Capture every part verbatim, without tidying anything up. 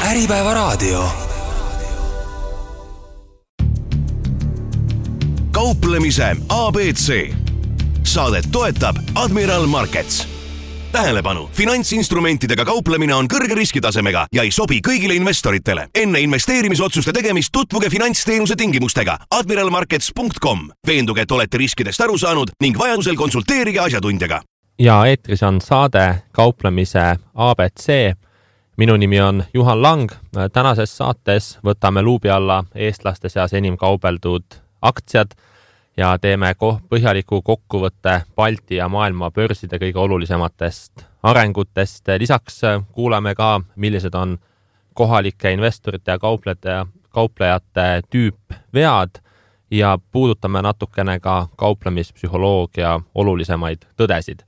Äripäevaraadio. Kauplemise A B C. Saadet toetab Admiral Markets. Tähelepanu, finantsinstrumentidega kauplemine on kõrge riskitasemega ja ei sobi kõigile investoritele. Enne investeerimisotsuste tegemist tutvuge finantsteenuse tingimustega admiral markets punkt com. Veenduge, et olete riskidest aru saanud ning vajadusel konsulteerige asjatundjaga. Ja eetris on saade Kauplemise A B C. Minu nimi on Juhan Lang. Tänases saates võtame luubi alla eestlaste seas enim kaubeldud aktsiad ja teeme põhjaliku kokkuvõtte Balti ja maailma börside kõige olulisematest arengutest. Lisaks kuulame ka, millised on kohalike investorite ja kauplejate, kauplejate tüüpvead ja puudutame natukene ka kauplemispsühholoogia olulisemaid tõdesid.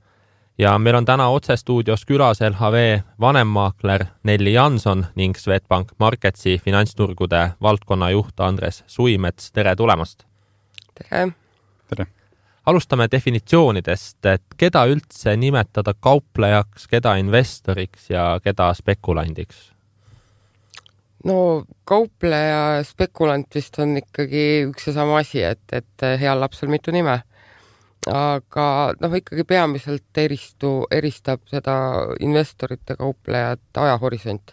Ja meil on täna otsestuudios külas L H V vanemmaakler Nelli Janson ning Swedbank Marketsi finantsturgude valdkonna juht Andres Suimets. Tere tulemast! Tere! Tere! Alustame definitsioonidest, et keda üldse nimetada kauplejaks, keda investoriks ja keda spekulandiks? No kaupleja spekulant vist on ikkagi üks ja sama asi, et, et heal lapsel mitu nime. Aga noh, ikkagi peamiselt eristu, eristab seda investorite kauplejat ajahorisont.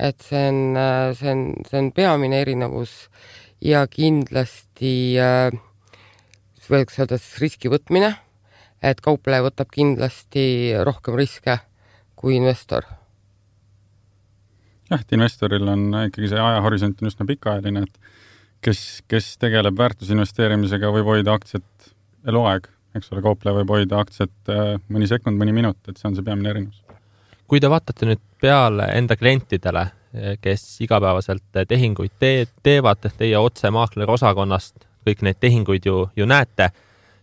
Et see on, see on, see on peamine erinevus ja kindlasti äh, võiks öelda riski võtmine, et kaupleja võtab kindlasti rohkem riske kui investor. Jah, et investoril on ikkagi see ajahorisont on üsna pikaajaline, et kes, kes tegeleb väärtusinvesteerimisega võib hoida aktsiat eluaeg, eks ole, kaupleja võib hoida aktsiat mõni sekund, mõni minut, et see on see peamine erinevus. Kui te vaatate nüüd peale enda klientidele, kes igapäevaselt tehinguid te- teevad, teie otse maakleri osakonnast, kõik neid tehinguid ju, ju näete,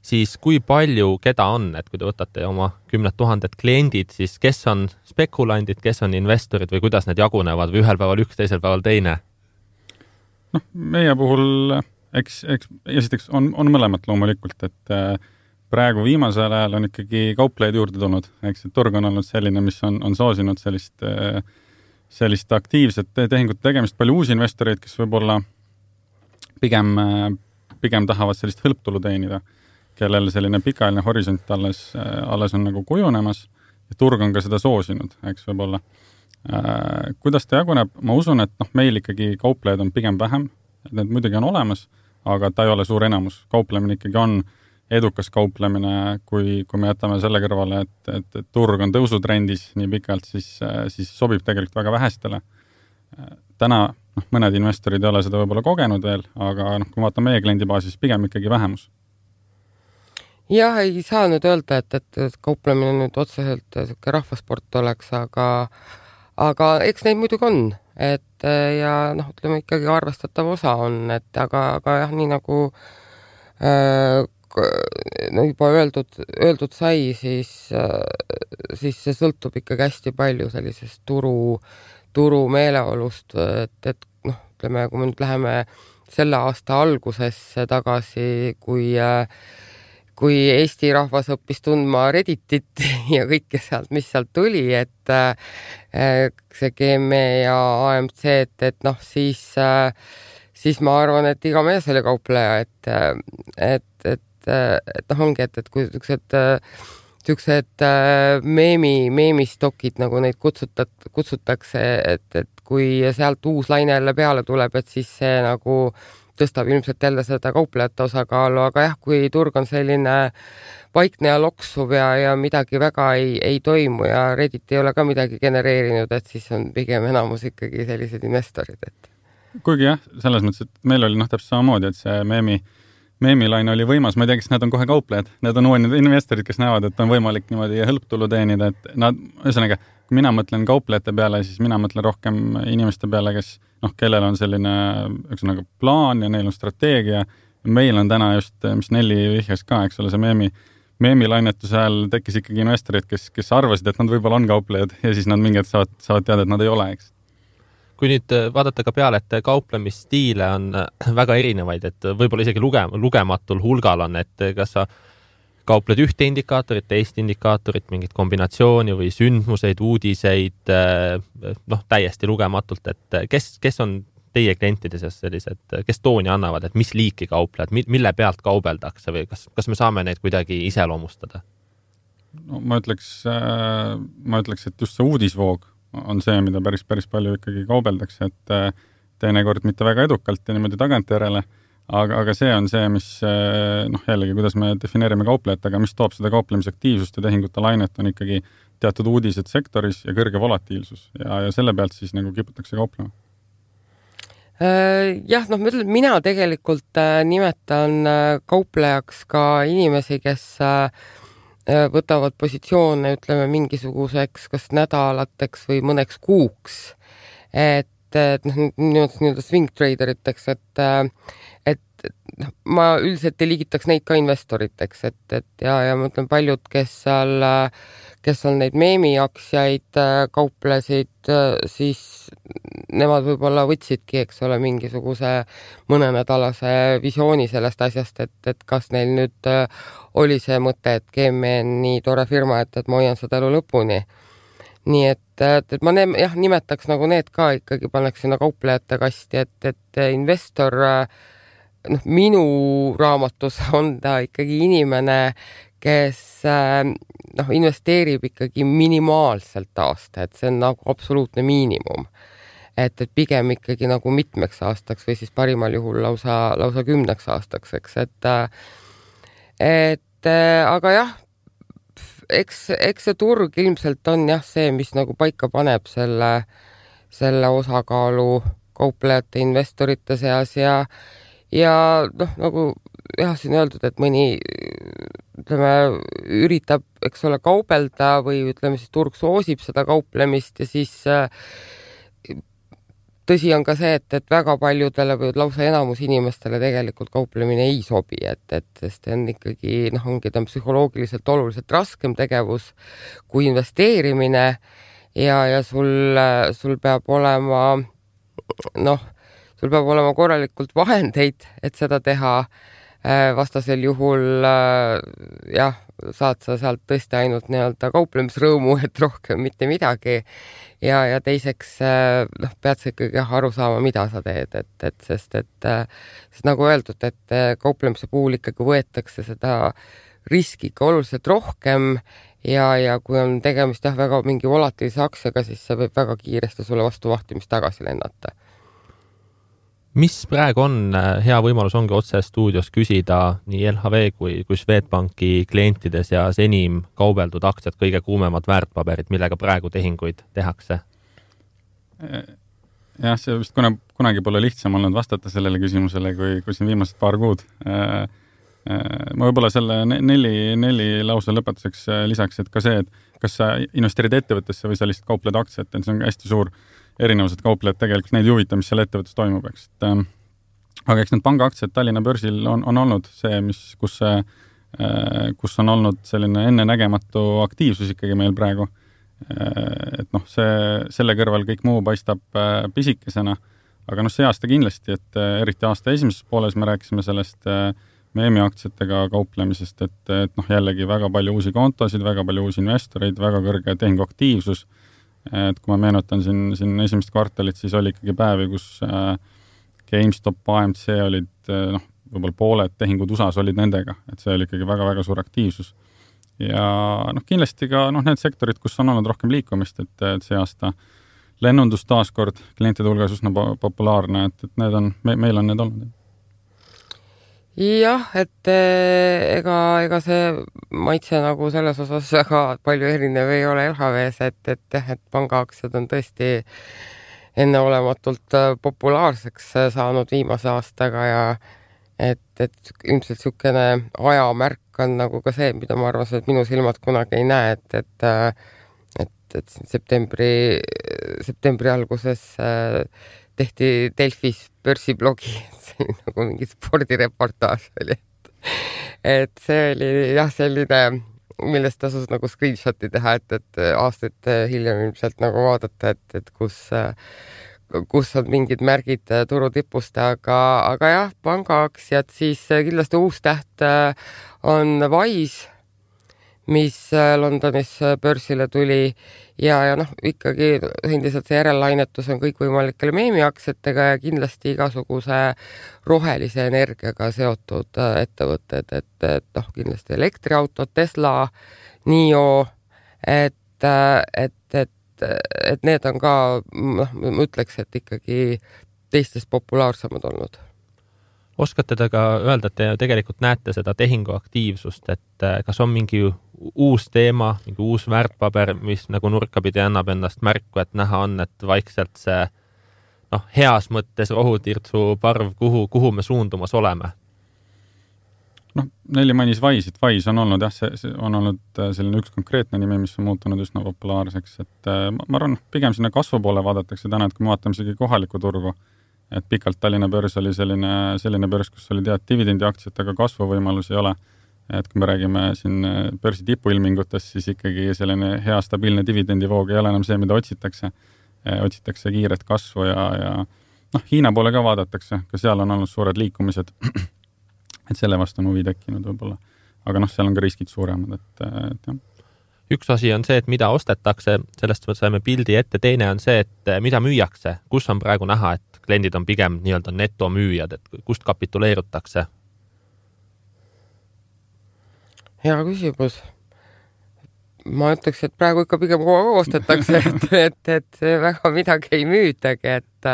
siis kui palju keda on, et kui te võtate oma kümned tuhanded kliendid, siis kes on spekulandid, kes on investorid või kuidas need jagunevad või ühel päeval üks, teisel päeval teine? No, meie puhul eks, eks esiteks on, on mõlemat loomulikult, et praegu viimasel ajal on ikkagi kauplejaid juurde tulnud, eks, et turg on olnud selline, mis on, on soosinud sellist, sellist aktiivset tehingut tegemist, palju uusi investoreid, kes võib-olla pigem, pigem tahavad sellist hõlptulu teenida, kellel selline pikaajaline horisont alles, alles on nagu kujunemas ja turg on ka seda soosinud, eks võib-olla. Kuidas ta jaguneb? Ma usun, et noh, meil ikkagi kauplejaid on pigem vähem, et need muidugi on olemas, aga ta ei ole suur enamus. Kauplemine ikkagi on edukas kauplemine, kui, kui me jätame selle kõrvale, et, et, et turg on tõusutrendis nii pikalt, siis, siis sobib tegelikult väga vähestele. Täna noh, mõned investorid ei ole seda võib-olla kogenud veel, aga noh, kui vaatame meie kliendibaasis, pigem ikkagi vähemus. Jah, ei saa nüüd öelda, et, et kauplemine nüüd otseselt rahvasport oleks, aga, aga eks neid muidugi on. Et ja noh, ütleme ikkagi arvestatav osa on, et aga, aga jah, nii nagu äh, no juba öeldud, öeldud sai, siis, äh, siis see sõltub ikkagi hästi palju sellisest turu, turu meeleolust, et, et noh, ütleme, kui me nüüd läheme selle aasta algusesse tagasi, kui äh, kui Eesti rahvas õppis tundma Redditit ja kõike sealt, mis sealt tuli, et äh, see G M E ja A M C, et, et noh, siis, äh, siis ma arvan, et iga mees oli kaupleja, et, et, et, et noh, ongi, et, et kui tüksed, tüksed äh, meemi, meemistokid, nagu neid kutsutat, kutsutakse, et, et kui sealt uus laine jälle peale tuleb, et siis see nagu tõstab ilmselt jälle seda kauplejate osakaalu, aga jah, kui turg on selline vaikne ja loksuv ja, ja midagi väga ei, ei toimu ja Reddit ei ole ka midagi genereerinud, et siis on pigem enamus ikkagi sellised investorid. Et... Kuigi jah, selles mõttes, et meil oli noh, täpselt samamoodi, et see meemi, meemilaine oli võimas. Ma ei tea, kas need on kohe kauplejad. Need on uued investorid, kes näevad, et on võimalik niimoodi hõlptulu teenida. Et nad, ühesõnaga, kui mina mõtlen kauplejate peale, siis mina mõtlen rohkem inimeste peale, kes noh, kellel on selline ühesõnaga plaan ja neil on strateegia. Meil on täna just, mis Nelli vihjas ka, eks ole, see meemi, meemilainetus ajal tekkis ikkagi investorid, kes, kes arvasid, et nad võib-olla on kauplejad ja siis nad mingid saavad, saavad teada, et nad ei ole, eks. Kui nüüd vaadata ka peale, et kauplemisstiile on väga erinevaid, et võib-olla isegi luge, lugematul hulgal on, et kas sa kaupled ühte indikaatorit, teist indikaatorit, mingit kombinatsiooni või sündmuseid, uudiseid, noh, täiesti lugematult, et kes, kes on teie klientide seas sellised, kes tooni annavad, et mis liiki kauplejad, mille pealt kaubeldakse või kas, kas me saame neid kuidagi iseloomustada? No, ma ütleks, ma ütleks, et just see uudisvoog on see, mida päris, päris palju ikkagi kaubeldakse, et teinekord mitte väga edukalt ja niimoodi tagantjärele, aga, aga see on see, mis, noh, jällegi, kuidas me defineerime kauplejat, aga mis toob seda kauplemisaktiivsust ja tehingute lainet, on ikkagi teatud uudised sektoris ja kõrge volatiilsus ja, ja selle pealt siis nagu kiputakse kauplema. Jah, noh, mina tegelikult nimetan kauplejaks ka inimesi, kes võtavad positsioone, ütleme, mingisuguseks kas nädalateks või mõneks kuuks, et nii-öelda swing traderiteks, et, et ma üldiselt ei liigitaks neid ka investoriteks, et, et ja, ja ma ütlen paljud, kes seal, kes on neid meemiaktsiaid kauplesid, siis nemad võib-olla võtsidki, eks ole, mingisuguse mõnenädalase visiooni sellest asjast, et, et kas neil nüüd oli see mõte, et G M E on nii tore firma, et, et ma hoian seda elu lõpuni. Nii et, et ma ne, jah, nimetaks nagu need ka ikkagi paneks sinna kauplejate kasti, et, et investor, noh, minu raamatus on ta ikkagi inimene, kes noh, investeerib ikkagi minimaalselt aasta, et see on nagu absoluutne miinimum. Et, et pigem ikkagi nagu mitmeks aastaks või siis parimal juhul lausa, lausa kümneks aastaks, eks, et, et aga jah, eks, eks see turg ilmselt on jah see, mis nagu paika paneb selle, selle osakaalu kauplejate investorite seas ja, ja noh, nagu jah, siin öeldud, et mõni ütleme, üritab, eks ole, kaubelda või ütleme siis turg soosib seda kauplemist ja siis tõsi on ka see, et, et väga paljudele või lausa enamus inimestele tegelikult kauplemine ei sobi, et, et sest on ikkagi, noh, ongi ta psühholoogiliselt oluliselt raskem tegevus kui investeerimine ja, ja sul, sul peab olema, noh, sul peab olema korralikult vahendeid, et seda teha. Vastasel juhul, jah, saad sa sealt tõesti ainult nii-öelda kauplemisrõõmu, et rohkem mitte midagi. Ja, ja teiseks, noh, pead sa ikkagi aru saama, mida sa teed, et, et sest, et sest nagu öeldud, et kauplemise puhul ikkagi võetakse seda riski ikka oluliselt rohkem ja, ja kui on tegemist jah, väga mingi volatiilse aktsiaga, siis see võib väga kiiresti sulle vastu vahtimist tagasi lennata. Mis praegu on hea võimalus ongi otse stuudios küsida nii L H V kui, kui Swedbanki klientide seas enim kaubeldud aktsiad, kõige kuumemad väärtpaberid, millega praegu tehinguid tehakse? Jah, see vist kuna, kunagi pole lihtsam olnud vastata sellele küsimusele, kui, kui siin viimased paar kuud. Ma võib-olla selle neli, neli lause lõpetuseks lisaks, et ka see, et kas sa investeerid ettevõttesse või sa lihtsalt kaupled aktsiat, et see on hästi suur erinevused kauplejad tegelikult neid ei huvita, mis seal ettevõttes toimub, eks. Et, ähm, aga eks need pangaaktsiad Tallinna börsil on, on olnud see, mis, kus, äh, kus on olnud selline ennenägematu aktiivsus ikkagi meil praegu. Äh, et noh, see, selle kõrval kõik muu paistab äh, pisikesena, aga noh, see aasta kindlasti, et äh, eriti aasta esimeses pooles me rääkisime sellest äh, meemiaktsiatega kauplemisest, et, et noh, jällegi väga palju uusi kontosid, väga palju uusi investoreid, väga kõrge tehinguaktiivsus. Et kui ma meenutan siin, siin esimest kvartalit, siis oli ikkagi päevi, kus äh, GameStop, A M C olid, äh, noh, võib-olla pooled tehingud U S A-s olid nendega, et see oli ikkagi väga-väga suur aktiivsus. Ja noh, kindlasti ka noh, need sektorid, kus on olnud rohkem liikumist, et, et see aasta lennundus taaskord klientide hulgas üsna populaarne, et, et need on, me, meil on need olnud. Jah, et ega, ega see maitse nagu selles osas väga palju erinev ei ole L H V-s, et, et, et pangaaktsiad on tõesti enneolematult populaarseks saanud viimase aastaga ja et, et ilmselt niisugune ajamärk on nagu ka see, mida ma arvasin, et minu silmad kunagi ei näe, et, et, et, et septembri, septembri alguses tehti Delfis börsiblogi, see oli nagu mingi spordireportaaž oli, et, et see oli jah, selline, millest tasus nagu screenshoti teha, et, et aastaid hiljem ilmselt nagu vaadata, et, et kus, kus on mingid märgid turu tipust, aga, aga jah, pangaaktsiad, siis kindlasti uus täht on Wise, mis Londonis börsile tuli ja, ja noh, ikkagi endiselt see järellainetus on kõikvõimalikele meemiaktsiatega ja kindlasti igasuguse rohelise energiaga seotud ettevõtted, et, et noh, kindlasti elektriautod, Tesla, Nio, et, et, et, et need on ka, noh, ma ütleks, et ikkagi teistest populaarsemad olnud. Oskate te ka öelda, et te tegelikult näete seda tehingu aktiivsust, et kas on mingi uus teema, mingi uus väärtpaber, mis nagu nurkapidi annab ennast märku, et näha on, et vaikselt see noh, heas mõttes rohutirtsu parv, kuhu, kuhu me suundumas oleme? Noh, Nelli mainis Wise'it. Wise on olnud, jah, see, see on olnud selline üks konkreetne nimi, mis on muutunud üsna populaarseks, et ma arvan, pigem sinna kasvu poole vaadatakse täna, et kui me vaatame isegi kohalikku turgu, et pikalt Tallinna börs oli selline, selline börs, kus oli tead dividendi aktsiat, aga kasvuvõimalusi ei ole. Et kui me räägime siin börsi tipuilmingutest, siis ikkagi selline hea stabiilne dividendivoog ei ole enam see, mida otsitakse. Otsitakse kiiret kasvu ja, ja noh, Hiina poole ka vaadatakse, ka seal on olnud suured liikumised, et selle vastu on huvi tekkinud võib-olla. Aga noh, seal on ka riskid suuremad, et, et jah. Üks asi on see, et mida ostetakse, sellest saime pildi ette, teine on see, et mida müüakse, kus on praegu näha, et kliendid on pigem nii-öelda netomüüjad, et kust kapituleerutakse? Hea küsimus. Ma ütleks, et praegu ikka pigem kogu ostetakse, et, et, et väga midagi ei müüdagi, et,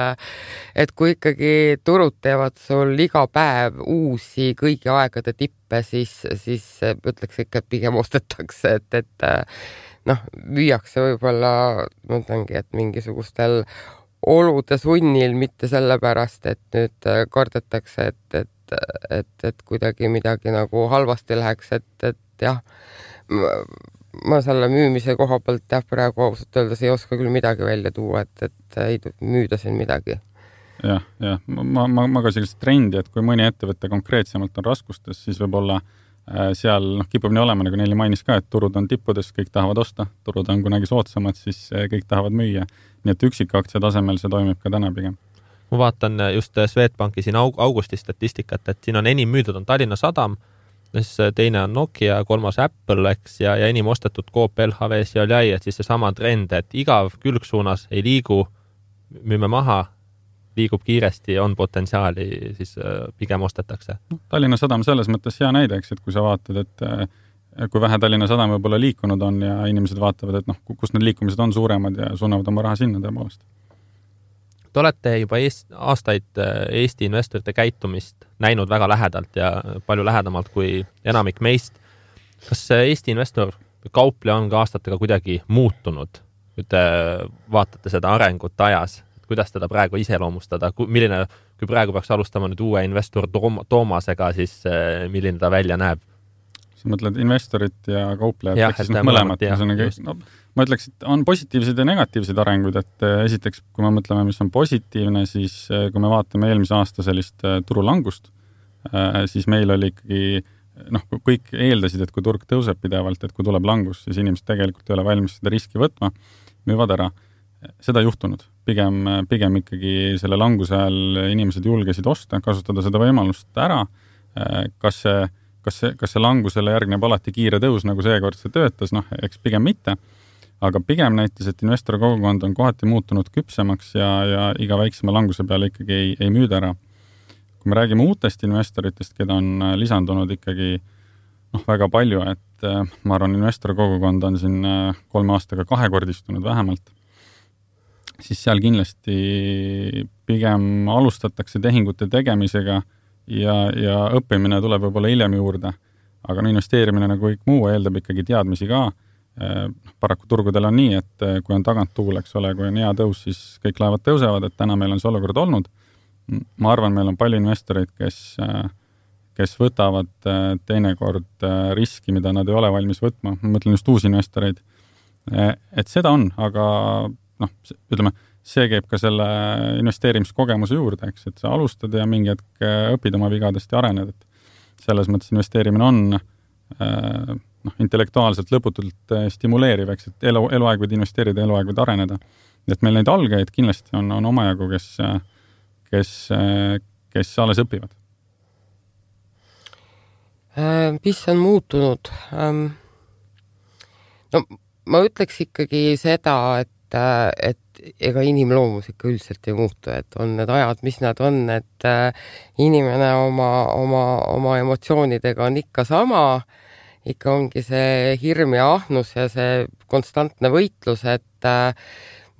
et kui ikkagi turud teevad sul iga päev uusi kõigi aegade tippe, siis, siis ütleks ikka, et pigem ostetakse, et, et noh, müüakse võib-olla, ma mõtlengi, et mingisugustel olude sunnil, mitte sellepärast, et nüüd kardetakse, et, et, et, et kuidagi midagi nagu halvasti läheks, et, et jah, ma selle müümise koha pealt jah, praegu ausalt öeldes ei oska küll midagi välja tuua, et, et ei müüda siin midagi. Jah, jah. Ma, ma, ma ka sellist trendi, et kui mõni ettevõtte konkreetsemalt on raskustes, siis võib-olla äh, seal noh, kipub nii olema, nagu Nelli mainis ka, et turud on tippudes, kõik tahavad osta, turud on kunagi soodsamad, siis äh, kõik tahavad müüa. Nii et üksikaktsia tasemel see toimib ka täna pigem. Ma vaatan just Swedbanki siin augusti statistikat, et siin on enim müüdud on Tallinna Sadam, teine on Nokia, kolmas Apple, eks, ja, ja enim ostetud Coop, L H V, ja oli, et siis see sama trend, et igav külgsuunas ei liigu, müüme maha, liigub kiiresti, on potentsiaali, siis pigem ostetakse. Tallinna Sadam selles mõttes hea näide, eks, et kui sa vaatad, et kui vähe Tallinna Sadam võib-olla liikunud on ja inimesed vaatavad, et noh, kus need liikumised on suuremad ja suunavad oma raha sinna tõepoolest. Te olete juba Eesti, aastaid Eesti investorite käitumist näinud väga lähedalt ja palju lähedamalt kui enamik meist. Kas Eesti investor kaupleja on ka aastatega kuidagi muutunud, kui te vaatate seda arengut ajas? Kuidas teda praegu iseloomustada? Milline, kui praegu peaks alustama nüüd uue investor Toomasega, siis milline ta välja näeb? Sa mõtled investorit ja kauplejad, ja, eks siis noh, mõlemad. No, ma ütleks, et on positiivseid ja negatiivseid arenguid, et esiteks, kui me mõtleme, mis on positiivne, siis kui me vaatame eelmise aasta sellist turulangust, siis meil oli ikkagi, noh, kõik eeldasid, et kui turg tõuseb pidevalt, et kui tuleb langus, siis inimesed tegelikult ei ole valmis seda riski võtma, müüvad ära. Seda juhtunud. Pigem, pigem ikkagi selle languse ajal inimesed julgesid osta, kasutada seda võimalust ära. Kas see Kas see, kas see langusele järgneb alati kiire tõus, nagu seekord see töötas, noh, eks pigem mitte. Aga pigem näitas, et investori kogukond on kohati muutunud küpsemaks ja, ja iga väiksema languse peale ikkagi ei, ei müüda ära. Kui me räägime uutest investoritest, keda on lisandunud ikkagi noh, väga palju, et ma arvan, investori kogukond on siin kolme aastaga kahekordistunud vähemalt, siis seal kindlasti pigem alustatakse tehingute tegemisega ja, ja õppimine tuleb võib-olla hiljem juurde, aga no investeerimine nagu kõik muu eeldab ikkagi teadmisi ka. Paraku turgudel on nii, et kui on tagant tuul, eks ole, kui on hea tõus, siis kõik laevad tõusevad, et täna meil on see olukord olnud. Ma arvan, meil on palju investoreid, kes, kes võtavad teinekord riski, mida nad ei ole valmis võtma. Ma mõtlen just uusi investoreid. Et seda on, aga noh, ütleme, see käib ka selle investeerimiskogemuse juurde, eks, et sa alustad ja mingi hetk õpid oma vigadest ja arened. Et selles mõttes investeerimine on noh, intellektuaalselt lõputult stimuleeriv, eks, et elu, eluaeg võid investeerida, eluaeg võid areneda. Et meil neid algeid kindlasti on, on omajagu, kes, kes, kes alles õpivad. Mis on muutunud? no ma ütleks ikkagi seda, et, et ega inimloomus ikka üldiselt ei muutu, et on need ajad, mis nad on, et inimene oma, oma, oma emotsioonidega on ikka sama, ikka ongi see hirm ja ahnus ja see konstantne võitlus, et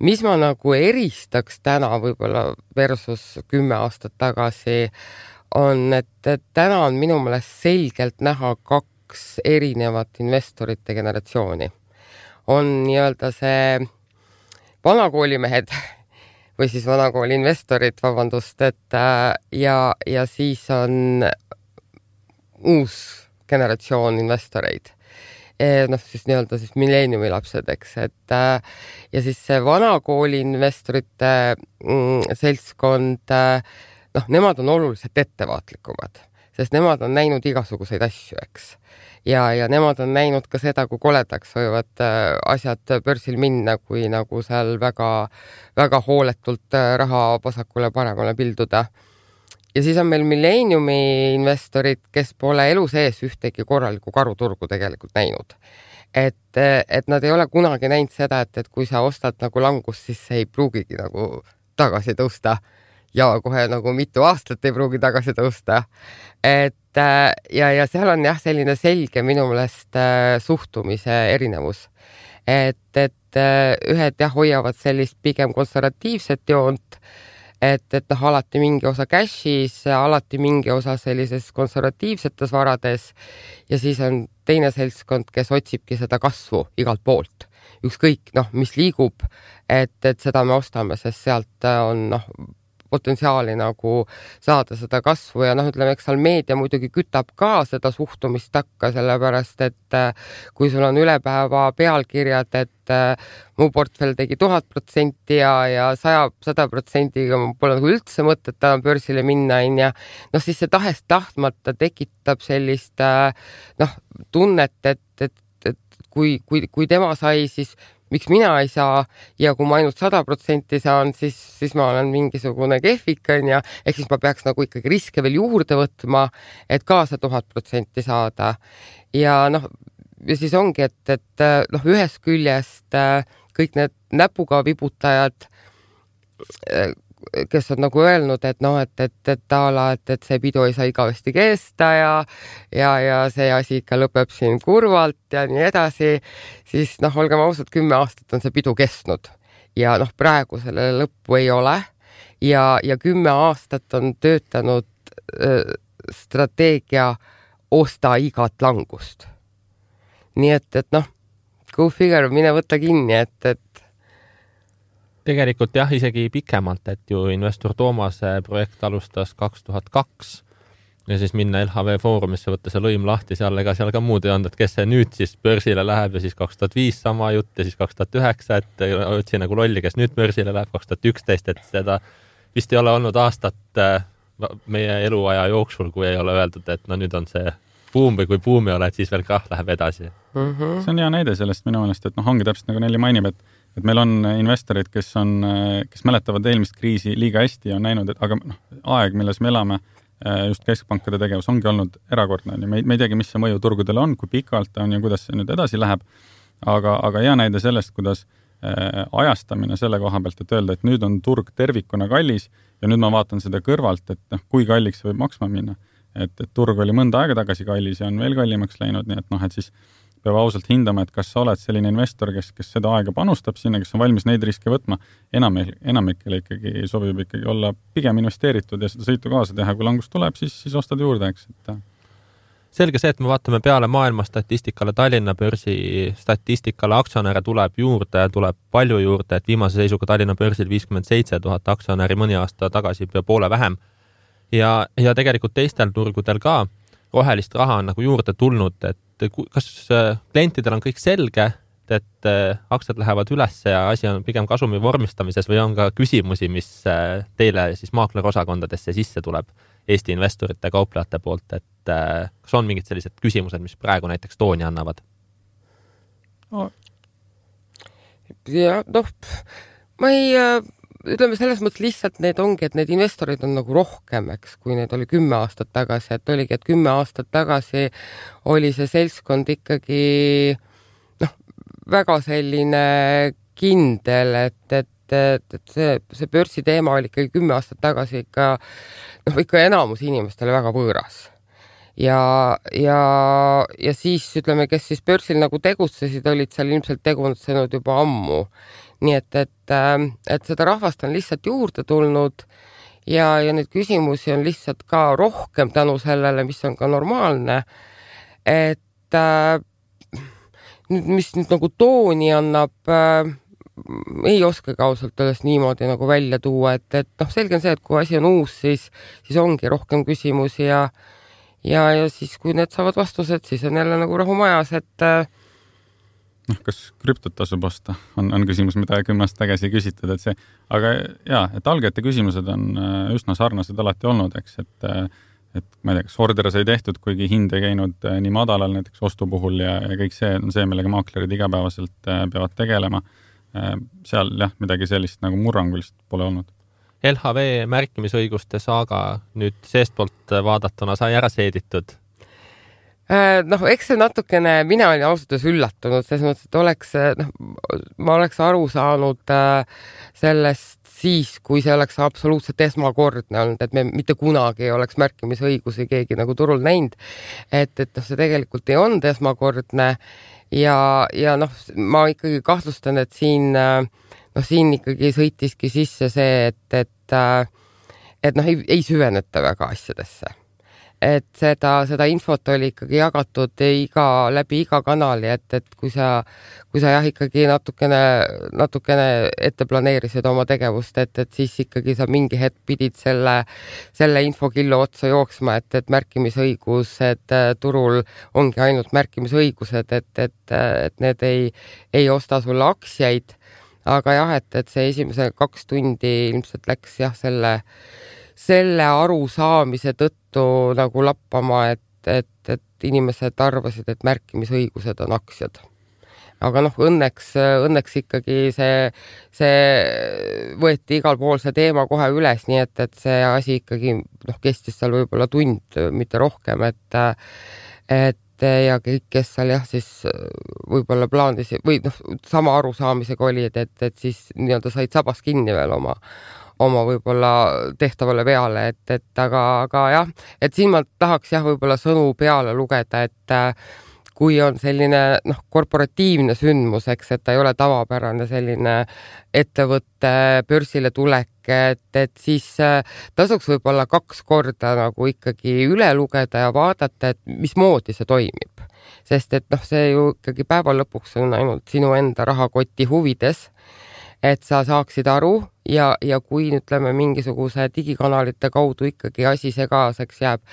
mis ma nagu eristaks täna võib-olla versus kümme aastat tagasi, on, et, et täna on minu meelest selgelt näha kaks erinevat investorite generatsiooni. On nii-öelda see vanakoolimehed või siis vanakooli investorid, vabandust, et ja, ja siis on uus generatsioon investoreid. Noh, siis nii-öelda siis milleeniumi lapsed, eks, et ja siis see vanakooli investorite mm, seltskond, noh, nemad on oluliselt ettevaatlikumad, sest nemad on näinud igasuguseid asju, eks. Ja, ja nemad on näinud ka seda, kui koledaks võivad asjad börsil minna, kui nagu seal väga, väga hooletult raha vasakule paremale pilduda. Ja siis on meil milleeniumi investorid, kes pole elu sees ühtegi korralikku karuturgu tegelikult näinud. Et, et nad ei ole kunagi näinud seda, et, et kui sa ostad nagu langus, siis see ei pruugigi nagu tagasi tõusta ja kohe nagu mitu aastat ei pruugi tagasi tõusta. Et ja, ja seal on jah selline selge minu meelest suhtumise erinevus. Et, et ühed jah hoiavad sellist pigem konservatiivset joont, et, et noh, alati mingi osa cash'is, alati mingi osa sellises konservatiivsetes varades ja siis on teine seltskond, kes otsibki seda kasvu igalt poolt. Ükskõik, noh, mis liigub, et, et seda me ostame, sest sealt on noh, potentsiaali nagu saada seda kasvu ja noh, ütleme, eks seal meedia muidugi kütab ka seda suhtumist takka, sellepärast, et kui sul on üle päeva pealkirjad, et mu portfell tegi tuhat protsenti ja, ja saja, sada protsendiga pole nagu üldse mõtet täna börsile minna, ja noh, siis see tahest tahtmata tekitab sellist noh, tunnet, et, et, et kui, kui, kui tema sai, siis miks mina ei saa ja kui ma ainult sada protsenti saan, siis, siis ma olen mingisugune kehvikan ja ehk siis ma peaks nagu ikkagi riske veel juurde võtma, et ka see tuhat protsenti saada. Ja noh, ja siis ongi, et, et noh, ühest küljest kõik need näpuga vibutajad, kes on nagu öelnud, et noh, et, et, et taala, et, et see pidu ei saa igavesti kesta ja, ja, ja see asi ikka lõpeb siin kurvalt ja nii edasi, siis noh, olgem ausad, kümme aastat on see pidu kestnud ja noh, praegu sellele lõppu ei ole ja, ja kümme aastat on töötanud äh, strateegia osta igat langust. Nii et, et noh, go figure, mine võtta kinni, et, et tegelikult jah, isegi pikemalt, et ju investor Toomase projekt alustas kaks tuhat kaks ja siis minna L H V foorumisse, võtta see lõim lahti seal, ega seal ka muud ei olnud, et kes see nüüd siis börsile läheb ja siis kaks tuhat viis sama jutt ja siis kaks tuhat üheksa, et otsi nagu lolli, kes nüüd börsile läheb, kaks tuhat üksteist, et seda vist ei ole olnud aastat meie eluaja jooksul, kui ei ole öeldud, et no nüüd on see buum või kui buum ei ole, et siis veel krahh läheb edasi. Mm-hmm. See on hea näide sellest minu meelest, et noh, ongi täpselt nagu Nelli mainib, et et meil on investorid, kes on, kes mäletavad eelmist kriisi liiga hästi ja on näinud, et aga noh, aeg, milles me elame, just keskpankade tegevus ongi olnud erakordne. Me ei, me ei teagi, mis see mõju turgudele on, kui pikalt on ja kuidas see nüüd edasi läheb. Aga, aga hea näide sellest, kuidas ajastamine selle koha pealt, et öelda, et nüüd on turg tervikuna kallis ja nüüd ma vaatan seda kõrvalt, et noh, kui kalliks see võib maksma minna. Et, et turg oli mõnda aega tagasi kallis ja on veel kallimaks läinud, nii et noh, et siis peab ausalt hindama, et kas sa oled selline investor, kes, kes seda aega panustab sinna, kes on valmis neid riske võtma, enam, enamikele ikkagi sobib ikkagi olla pigem investeeritud ja seda sõitu kaasa teha, kui langus tuleb, siis, siis ostad juurde, eks. Et... Selge see, et me vaatame peale maailma statistikale, Tallinna börsi statistikale, aktsionäre tuleb juurde, tuleb palju juurde, et viimase seisuga Tallinna börsil viiskümmend seitse tuhat aktsionäri mõni aasta tagasi pea poole vähem. Ja, ja tegelikult teistel turgudel ka rohelist raha on nagu juurde tulnud, et kas klientidel on kõik selge, et aktsiad lähevad üles ja asi on pigem kasumi vormistamises või on ka küsimusi, mis teile siis maaklerosakondadesse sisse tuleb Eesti investorite, kauplejate poolt, et kas on mingid sellised küsimused, mis praegu näiteks tooni annavad? No. Ja, noh, ma ei, ütleme selles mõttes lihtsalt need ongi, et need investorid on nagu rohkem, eks, kui need oli kümme aastat tagasi, et oligi, et kümme aastat tagasi oli see seltskond ikkagi noh, väga selline kindel, et, et, et, et see, see börsi teema oli ikkagi kümme aastat tagasi ikka, noh, ikka enamus inimestele väga võõras. Ja, ja, ja siis ütleme, kes siis börsil nagu tegutsesid, olid seal ilmselt tegutsenud juba ammu. Nii et, et, et seda rahvast on lihtsalt juurde tulnud ja, ja neid küsimusi on lihtsalt ka rohkem tänu sellele, mis on ka normaalne. Et nüüd, mis nüüd nagu tooni annab, ei oskagi ausalt öeldes niimoodi nagu välja tuua, et, et noh, selge on see, et kui asi on uus, siis, siis ongi rohkem küsimusi ja Ja, ja siis, kui need saavad vastused, siis on jälle nagu rahu majas, et noh, kas krüptot tasub osta, on, on küsimus, mida kümme aastat tagasi küsitud, et see, aga jaa, et algajate küsimused on üsna sarnased alati olnud, eks, et, et ma ei tea, kas ordera sai tehtud, kuigi hind ei käinud nii madalal näiteks ostu puhul ja, ja kõik see on see, millega maaklerid igapäevaselt peavad tegelema. Seal jah, midagi sellist nagu murrangulist pole olnud. L H V märkimisõiguste saaga nüüd seestpoolt vaadatuna sai ära seeditud? Noh, eks see natukene, mina olin ausalt üllatunud, selles mõttes, et oleks, noh, ma oleks aru saanud sellest siis, kui see oleks absoluutselt esmakordne olnud, et me mitte kunagi ei oleks märkimisõigusi keegi nagu turul näinud, et, et noh, see tegelikult ei olnud esmakordne ja, ja noh, ma ikkagi kahtlustan, et siin noh, siin ikkagi sõitiski sisse see, et, et, et noh, ei, ei süveneta väga asjadesse. Et seda, seda infot oli ikkagi jagatud iga, läbi iga kanali, et, et kui sa, kui sa jah, ikkagi natukene, natukene ette planeerisid oma tegevust, et, et siis ikkagi sa mingi hetk pidid selle, selle infokillu otsa jooksma, et, et märkimisõigused turul ongi ainult märkimisõigused, et, et, et need ei, ei osta sulle aktsiaid. Aga jah, et, et see esimese kaks tundi ilmselt läks jah, selle, selle arusaamise tõttu nagu lappama, et, et, et inimesed arvasid, et märkimisõigused on aktsiad. Aga noh, õnneks, õnneks ikkagi see, see võeti igal pool see teema kohe üles, nii et, et see asi ikkagi noh, kestis seal võib-olla tund, mitte rohkem, et, et ja kõik, kes seal jah, siis võib-olla plaandis või noh, sama arusaamisega oli, et, et, et siis nii-öelda said sabas kinni veel oma, oma võib-olla tehtavale peale, et, et aga, aga jah, et siin ma tahaks jah, võib-olla sõnu peale lugeda, et kui on selline noh, korporatiivne sündmus, eks, et ta ei ole tavapärane selline ettevõtte börsile tulek, et, et siis tasuks võib-olla kaks korda nagu ikkagi üle lugeda ja vaadata, et mismoodi see toimib. Sest et noh, see ju ikkagi päeva lõpuks on ainult sinu enda rahakoti huvides, et sa saaksid aru ja, ja kui ütleme mingisuguse digikanalite kaudu ikkagi asi segaseks jääb,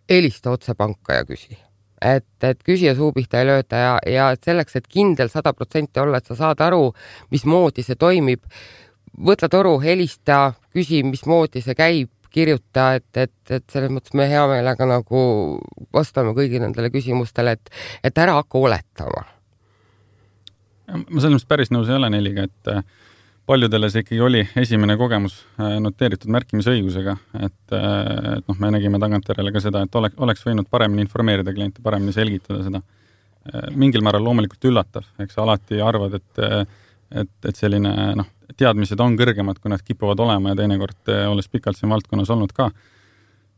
helista otse panka ja küsi. Et, et küsija suupihta ei lööda ja, ja selleks, et kindel sada protsenti olla, et sa saad aru, mismoodi see toimib, võta toru, helista, küsi, mismoodi see käib, kirjuta, et, et, et selles mõttes me hea meelega nagu vastame kõigi nendele küsimustele, et, et ära hakka oletama. Ma selles mõttes päris nõus ei ole Neliga, et paljudele see ikkagi oli esimene kogemus noteeritud märkimisõigusega, et, et noh, me nägime tagantjärele ka seda, et oleks, oleks võinud paremini informeerida kliente, paremini selgitada seda. Mingil määral loomulikult üllatav, eks alati arvad, et, et, et selline noh, teadmised on kõrgemad, kui nad kipuvad olema ja teinekord olles pikalt siin valdkonnas olnud ka.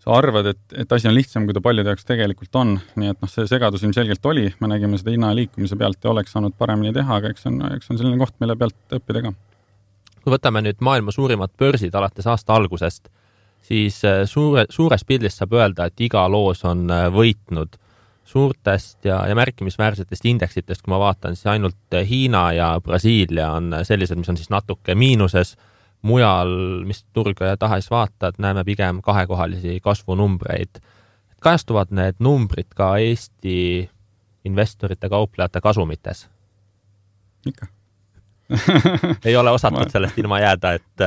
Sa arvad, et, et asi on lihtsam, kui ta paljude jaoks tegelikult on, nii et noh, see segadus ilmselgelt oli, me nägime seda hinna liikumise pealt ja oleks saanud paremini teha, aga eks on, eks on selline koht, mille pealt õppida ka. Kui võtame nüüd maailma suurimad börsid alates aasta algusest, siis suure, suures pildis saab öelda, et iga loos on võitnud suurtest ja, ja märkimisväärsetest indeksitest, kui ma vaatan, siis ainult Hiina ja Brasiilia on sellised, mis on siis natuke miinuses. Mujal, mis turga ja tahais vaatad, näeme pigem kahekohalisi kasvunumbreid. Kajastuvad need numbrid ka Eesti investorite kauplejate kasumites? Ikka. Ei ole osatud sellest ilma jääda, et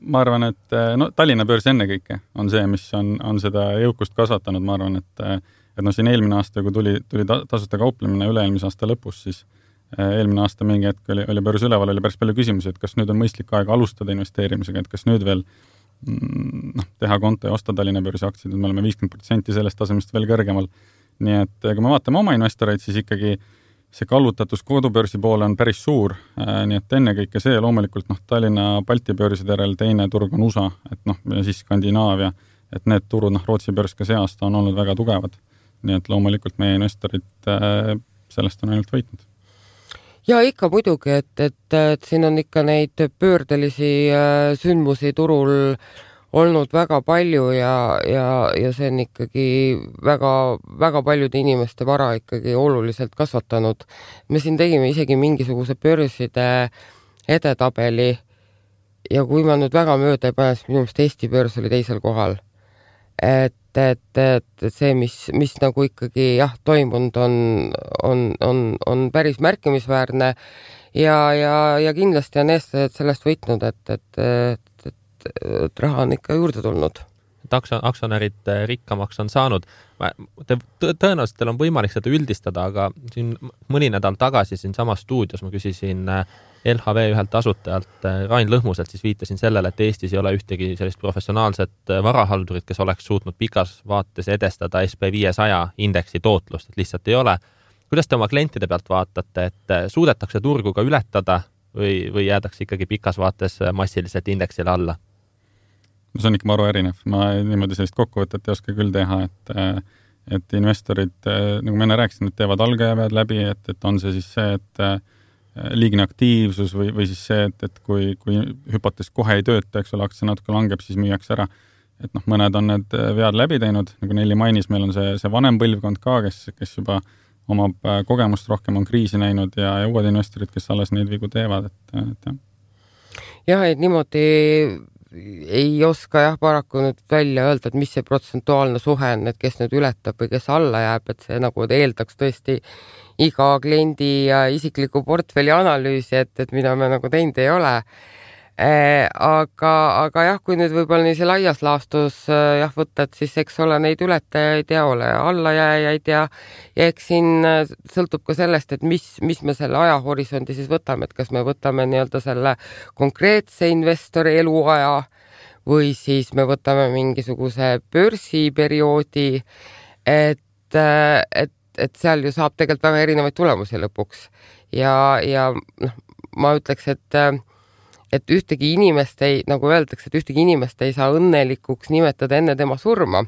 ma arvan, et no, Tallinna börs enne kõike on see, mis on, on seda jõukust kasvatanud. Ma arvan, et, et no, siin eelmine aasta, kui tuli, tuli tasuta kauplemine üle-eelmise aasta lõpus, siis eelmine aasta mingi hetk oli, oli börs üleval, oli päris palju küsimusi, et kas nüüd on mõistlik aega alustada investeerimisega, et kas nüüd veel noh, teha konto ja osta Tallinna börsi aktsiid, me oleme viiskümmend protsenti sellest tasemest veel kõrgemal. Nii et kui me vaatame oma investoreid, siis ikkagi see kallutatus kodubörsi poole on päris suur, nii et ennekõike see loomulikult noh, Tallinna Balti börside järel teine turg on U S A, et noh, ja siis Skandinaavia, et need turud, noh, Rootsi börs ka see aasta on olnud väga tugevad. Nii et loomulikult meie investorid sellest on ainult võitnud. Ja ikka muidugi, et, et, et siin on ikka neid pöördelisi sündmusi turul olnud väga palju ja, ja, ja see on ikkagi väga, väga paljude inimeste vara ikkagi oluliselt kasvatanud. Me siin tegime isegi mingisuguse börside edetabeli ja kui ma nüüd väga mööda ei pane, siis minu meelest Eesti börs oli teisel kohal. Et, et, et, et see, mis, mis nagu ikkagi jah, toimunud on, on, on, on päris märkimisväärne ja, ja, ja kindlasti on eestlased sellest võitnud, et, et, et et raha on ikka juurde tulnud. Aktsionärid rikkamaks on saanud. Tõenäoliselt teil on võimalik seda üldistada, aga siin mõni nädal tagasi siin sama stuudios ma küsisin L H V ühelt asutajalt Rain Lõhmuselt, siis viitasin sellele, et Eestis ei ole ühtegi sellist professionaalset varahaldurit, kes oleks suutnud pikas vaates edestada S P viiesaja indeksi tootlust, et lihtsalt ei ole. Kuidas te oma klientide pealt vaatate, et suudetakse turgu ka ületada või, või jäädakse ikkagi pikas vaates massiliselt indeksile alla? No see on ikka maru erinev. Ma niimoodi sellist kokkuvõtet ei oska küll teha, et, et investorid, nagu ma enne rääkisin, et teevad algajavead läbi, et, et on see siis see, et liigne aktiivsus või, või siis see, et, et kui, kui hüpotees kohe ei tööta, eks ole, aktsia natuke langeb, siis müüakse ära. Et noh, mõned on need vead läbi teinud, nagu Nelli mainis, meil on see, see vanem põlvkond ka, kes, kes juba omab kogemust rohkem, on kriisi näinud ja, ja uued investorid, kes alles neid vigu teevad. Et, et jah. jah, et niimoodi ei oska jah paraku nüüd välja öelda, et mis see protsentuaalne suhe on, et kes nüüd ületab või kes alla jääb, et see nagu eeldaks tõesti iga kliendi ja isikliku portfelli analüüsi, et, et mida me nagu teinud ei ole. Eh, aga, aga jah, kui nüüd võib-olla nii see laias laastus jah võtta, et siis eks ole neid ületajaid ja ole allajääjaid ja, ja eks siin sõltub ka sellest, et mis, mis me selle ajahorisondi siis võtame, et kas me võtame nii-öelda selle konkreetse investori eluaja või siis me võtame mingisuguse börsiperioodi, et, et, et seal ju saab tegelikult väga erinevaid tulemusi lõpuks ja, ja noh, ma ütleks, et et ühtegi inimest ei, nagu öeldakse, et ühtegi inimest ei saa õnnelikuks nimetada enne tema surma,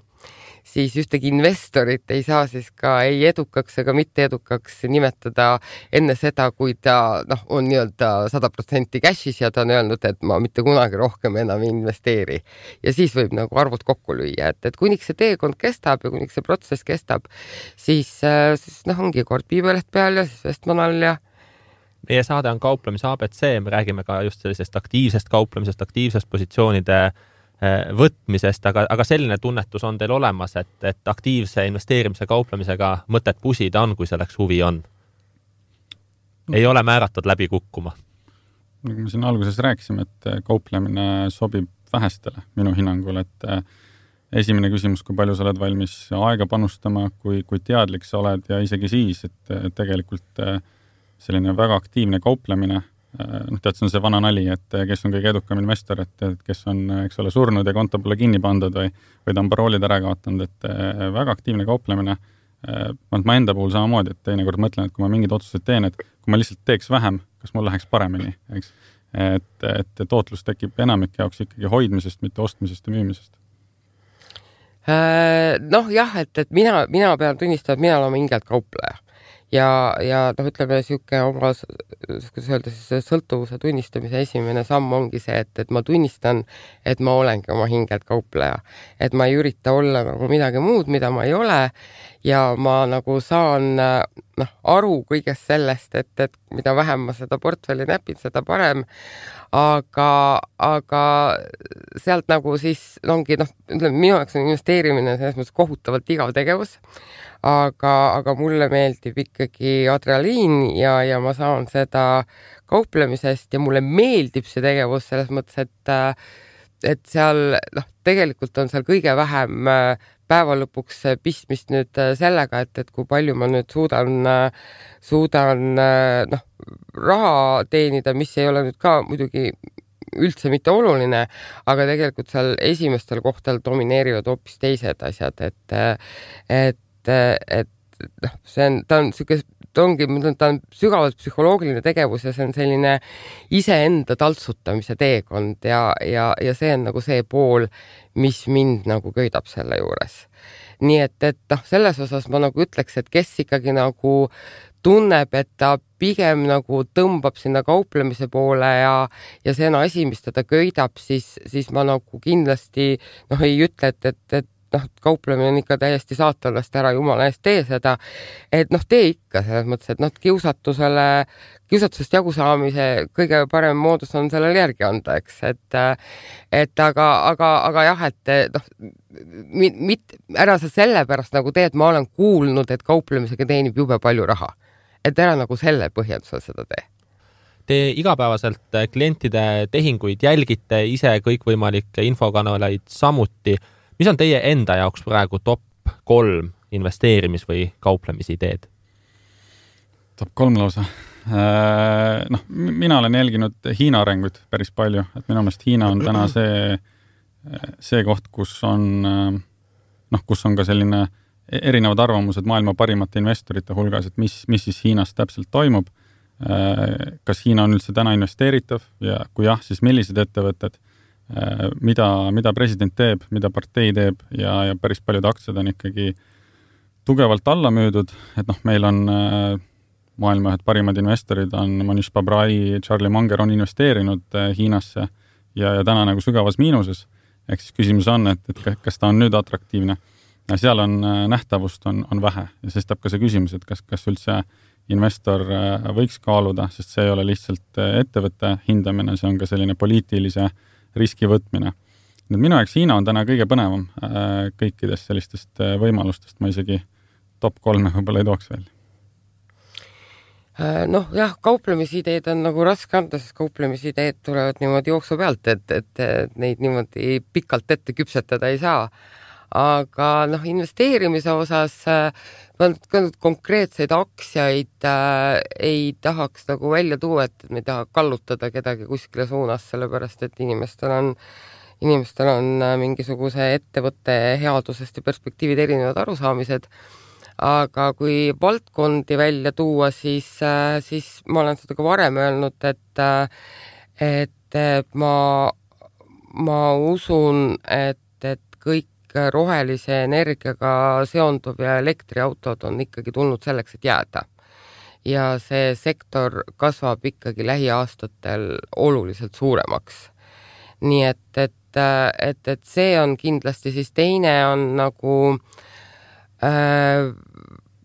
siis ühtegi investorit ei saa siis ka ei edukaks ega mitte edukaks nimetada enne seda, kui ta noh, on nii-öelda sada protsenti cash'is ja ta on öelnud, et ma mitte kunagi rohkem enam investeeri. Ja siis võib nagu arvud kokku lüüa, et, et kuniks see teekond kestab ja kuniks see protsess kestab, siis, siis noh, ongi kord piibeleht peal ja siis Vestmanal ja meie saade on kauplemise A B C, me räägime ka just sellisest aktiivsest kauplemisest, aktiivsest positsioonide võtmisest, aga, aga selline tunnetus on teil olemas, et, et aktiivse investeerimise kauplemisega mõtet pusida on, kui selleks huvi on. Ei ole määratud läbi kukkuma. Nagu me siin alguses rääkisime, et kauplemine sobib vähestele minu hinnangul, et esimene küsimus, kui palju sa oled valmis aega panustama, kui, kui teadlik sa oled ja isegi siis, et tegelikult selline väga aktiivne kauplemine, noh, tead, see on see vana nali, et kes on kõige edukam investor, et, et kes on, eks ole, surnud ja konto pole kinni pandud või, või ta on paroolid ära kaotanud, et väga aktiivne kauplemine. Ma enda puhul samamoodi, et teinekord mõtlen, et kui ma mingid otsused teen, et kui ma lihtsalt teeks vähem, kas mul läheks paremini, eks? Et, et tootlus tekib enamik jaoks ikkagi hoidmisest, mitte ostmisest ja müümisest. Noh jah, et, et mina, mina pean tunnistama, et mina olen mingelt kaupleja. Ja, ja noh, ütleme siuke oma, kuidas öelda, siis sõltuvuse tunnistamise esimene samm ongi see, et, et ma tunnistan, et ma olengi oma hingelt kaupleja. Et ma ei ürita olla nagu midagi muud, mida ma ei ole ja ma nagu saan noh, aru kõigest sellest, et, et mida vähem ma seda portfelli näpin, seda parem. Aga, aga sealt nagu siis ongi, noh, ütleme, minu jaoks on investeerimine selles mõttes kohutavalt igav tegevus. Aga, aga mulle meeldib ikkagi adrenaliin ja, ja ma saan seda kauplemisest ja mulle meeldib see tegevus selles mõttes, et, et seal noh, tegelikult on seal kõige vähem päeva lõpuks pistmist nüüd sellega, et, et kui palju ma nüüd suudan, suudan noh, raha teenida, mis ei ole nüüd ka muidugi üldse mitte oluline, aga tegelikult seal esimestel kohtal domineerivad hoopis teised asjad, et, et et, noh, see on, ta on siuke, ta ongi, ta on sügavalt psühholoogiline tegevus ja see on selline iseenda taltsutamise teekond ja, ja, ja see on nagu see pool, mis mind nagu köidab selle juures. Nii et, et noh, selles osas ma nagu ütleks, et kes ikkagi nagu tunneb, et ta pigem nagu tõmbab sinna kauplemise poole ja, ja see on asi, mis teda köidab, siis, siis ma nagu kindlasti noh, ei ütle, et, et, et noh, kauplemine on ikka täiesti saatanast ära, jumala eest tee seda, et noh, tee ikka selles mõttes, et noh, kiusatusele, kiusatusest jagu saamise kõige parem moodus on sellele järgi anda, eks, et, et aga, aga, aga jah, et noh, mit, ära sa sellepärast nagu teed, ma olen kuulnud, et kauplemisega teenib jube palju raha, et ära nagu selle põhjendusel seda tee. Te igapäevaselt klientide tehinguid jälgite ise kõikvõimalikke infokanaleid samuti. Mis on teie enda jaoks praegu top kolm investeerimis- või kauplemisideed? Top kolm lausa. Noh, mina olen jälginud Hiina arenguid päris palju, et minu meelest Hiina on täna see, see koht, kus on, noh, kus on ka selline erinevad arvamused maailma parimate investorite hulgas, et mis, mis siis Hiinas täpselt toimub. Kas Hiina on üldse täna investeeritav ja kui jah, siis millised ettevõtted, mida, mida president teeb, mida partei teeb ja, ja päris paljud aktsiad on ikkagi tugevalt alla müüdud, et noh, meil on maailma ühed parimad investorid on Manish Babrai, Charlie Munger on investeerinud Hiinasse ja, ja täna nagu sügavas miinuses. Ehk siis küsimus on, et, et kas ta on nüüd atraktiivne. Ja seal on nähtavust on, on vähe ja sest täp ka see küsimus, et kas, kas üldse investor võiks kaaluda, sest see ei ole lihtsalt ettevõtte hindamine, see on ka selline poliitilise riski võtmine. Nüüd minu jaoks Hiina on täna kõige põnevam kõikidest sellistest võimalustest, ma isegi top kolme võib-olla ei tooks veel. Noh jah, kauplemisideed on nagu raske anda, sest kauplemisideed tulevad niimoodi jooksu pealt, et, et neid niimoodi pikalt ette küpsetada ei saa. Aga noh, investeerimise osas konkreetseid aktsiaid äh, ei tahaks nagu välja tuua, et me ei taha kallutada kedagi kuskile suunas, sellepärast et inimestel on, inimestel on mingisuguse ettevõtte headusest ja perspektiivid erinevad arusaamised. Aga kui valdkondi välja tuua, siis, äh, siis ma olen seda ka varem öelnud, et, äh, et ma, ma usun, et, et kõik rohelise energiaga seonduv ja elektriautod on ikkagi tulnud selleks, et jääda. Ja see sektor kasvab ikkagi lähiaastatel oluliselt suuremaks. Nii et, et, et, et see on kindlasti, siis teine on nagu äh,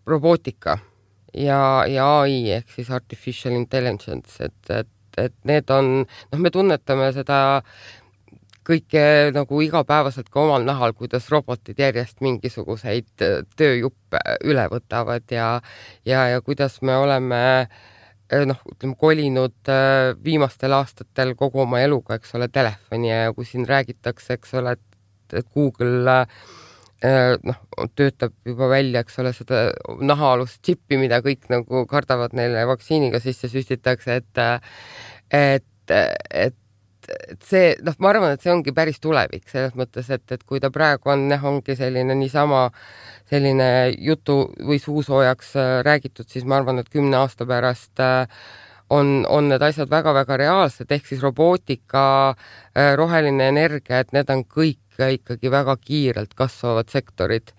robootika ja, ja A I ehk siis artificial intelligence, et, et, et need on, noh, me tunnetame seda kõike nagu igapäevaselt ka omal nahal, kuidas robotid järjest mingisuguseid tööjuppe üle võtavad ja, ja, ja kuidas me oleme noh, ütleme, kolinud viimastel aastatel kogu oma eluga, eks ole, telefoni ja kui siin räägitakse, eks ole, et Google noh, töötab juba välja, eks ole, seda nahaalust tšippi, mida kõik nagu kardavad neile vaktsiiniga sisse süstitakse, et, et, et et see, noh, ma arvan, et see ongi päris tulevik selles mõttes, et, et kui ta praegu on, ongi selline niisama selline jutu või suusoojaks räägitud, siis ma arvan, et kümne aasta pärast on, on need asjad väga-väga reaalsed, ehk siis robootika, roheline energia, et need on kõik ikkagi väga kiirelt kasvavad sektorid.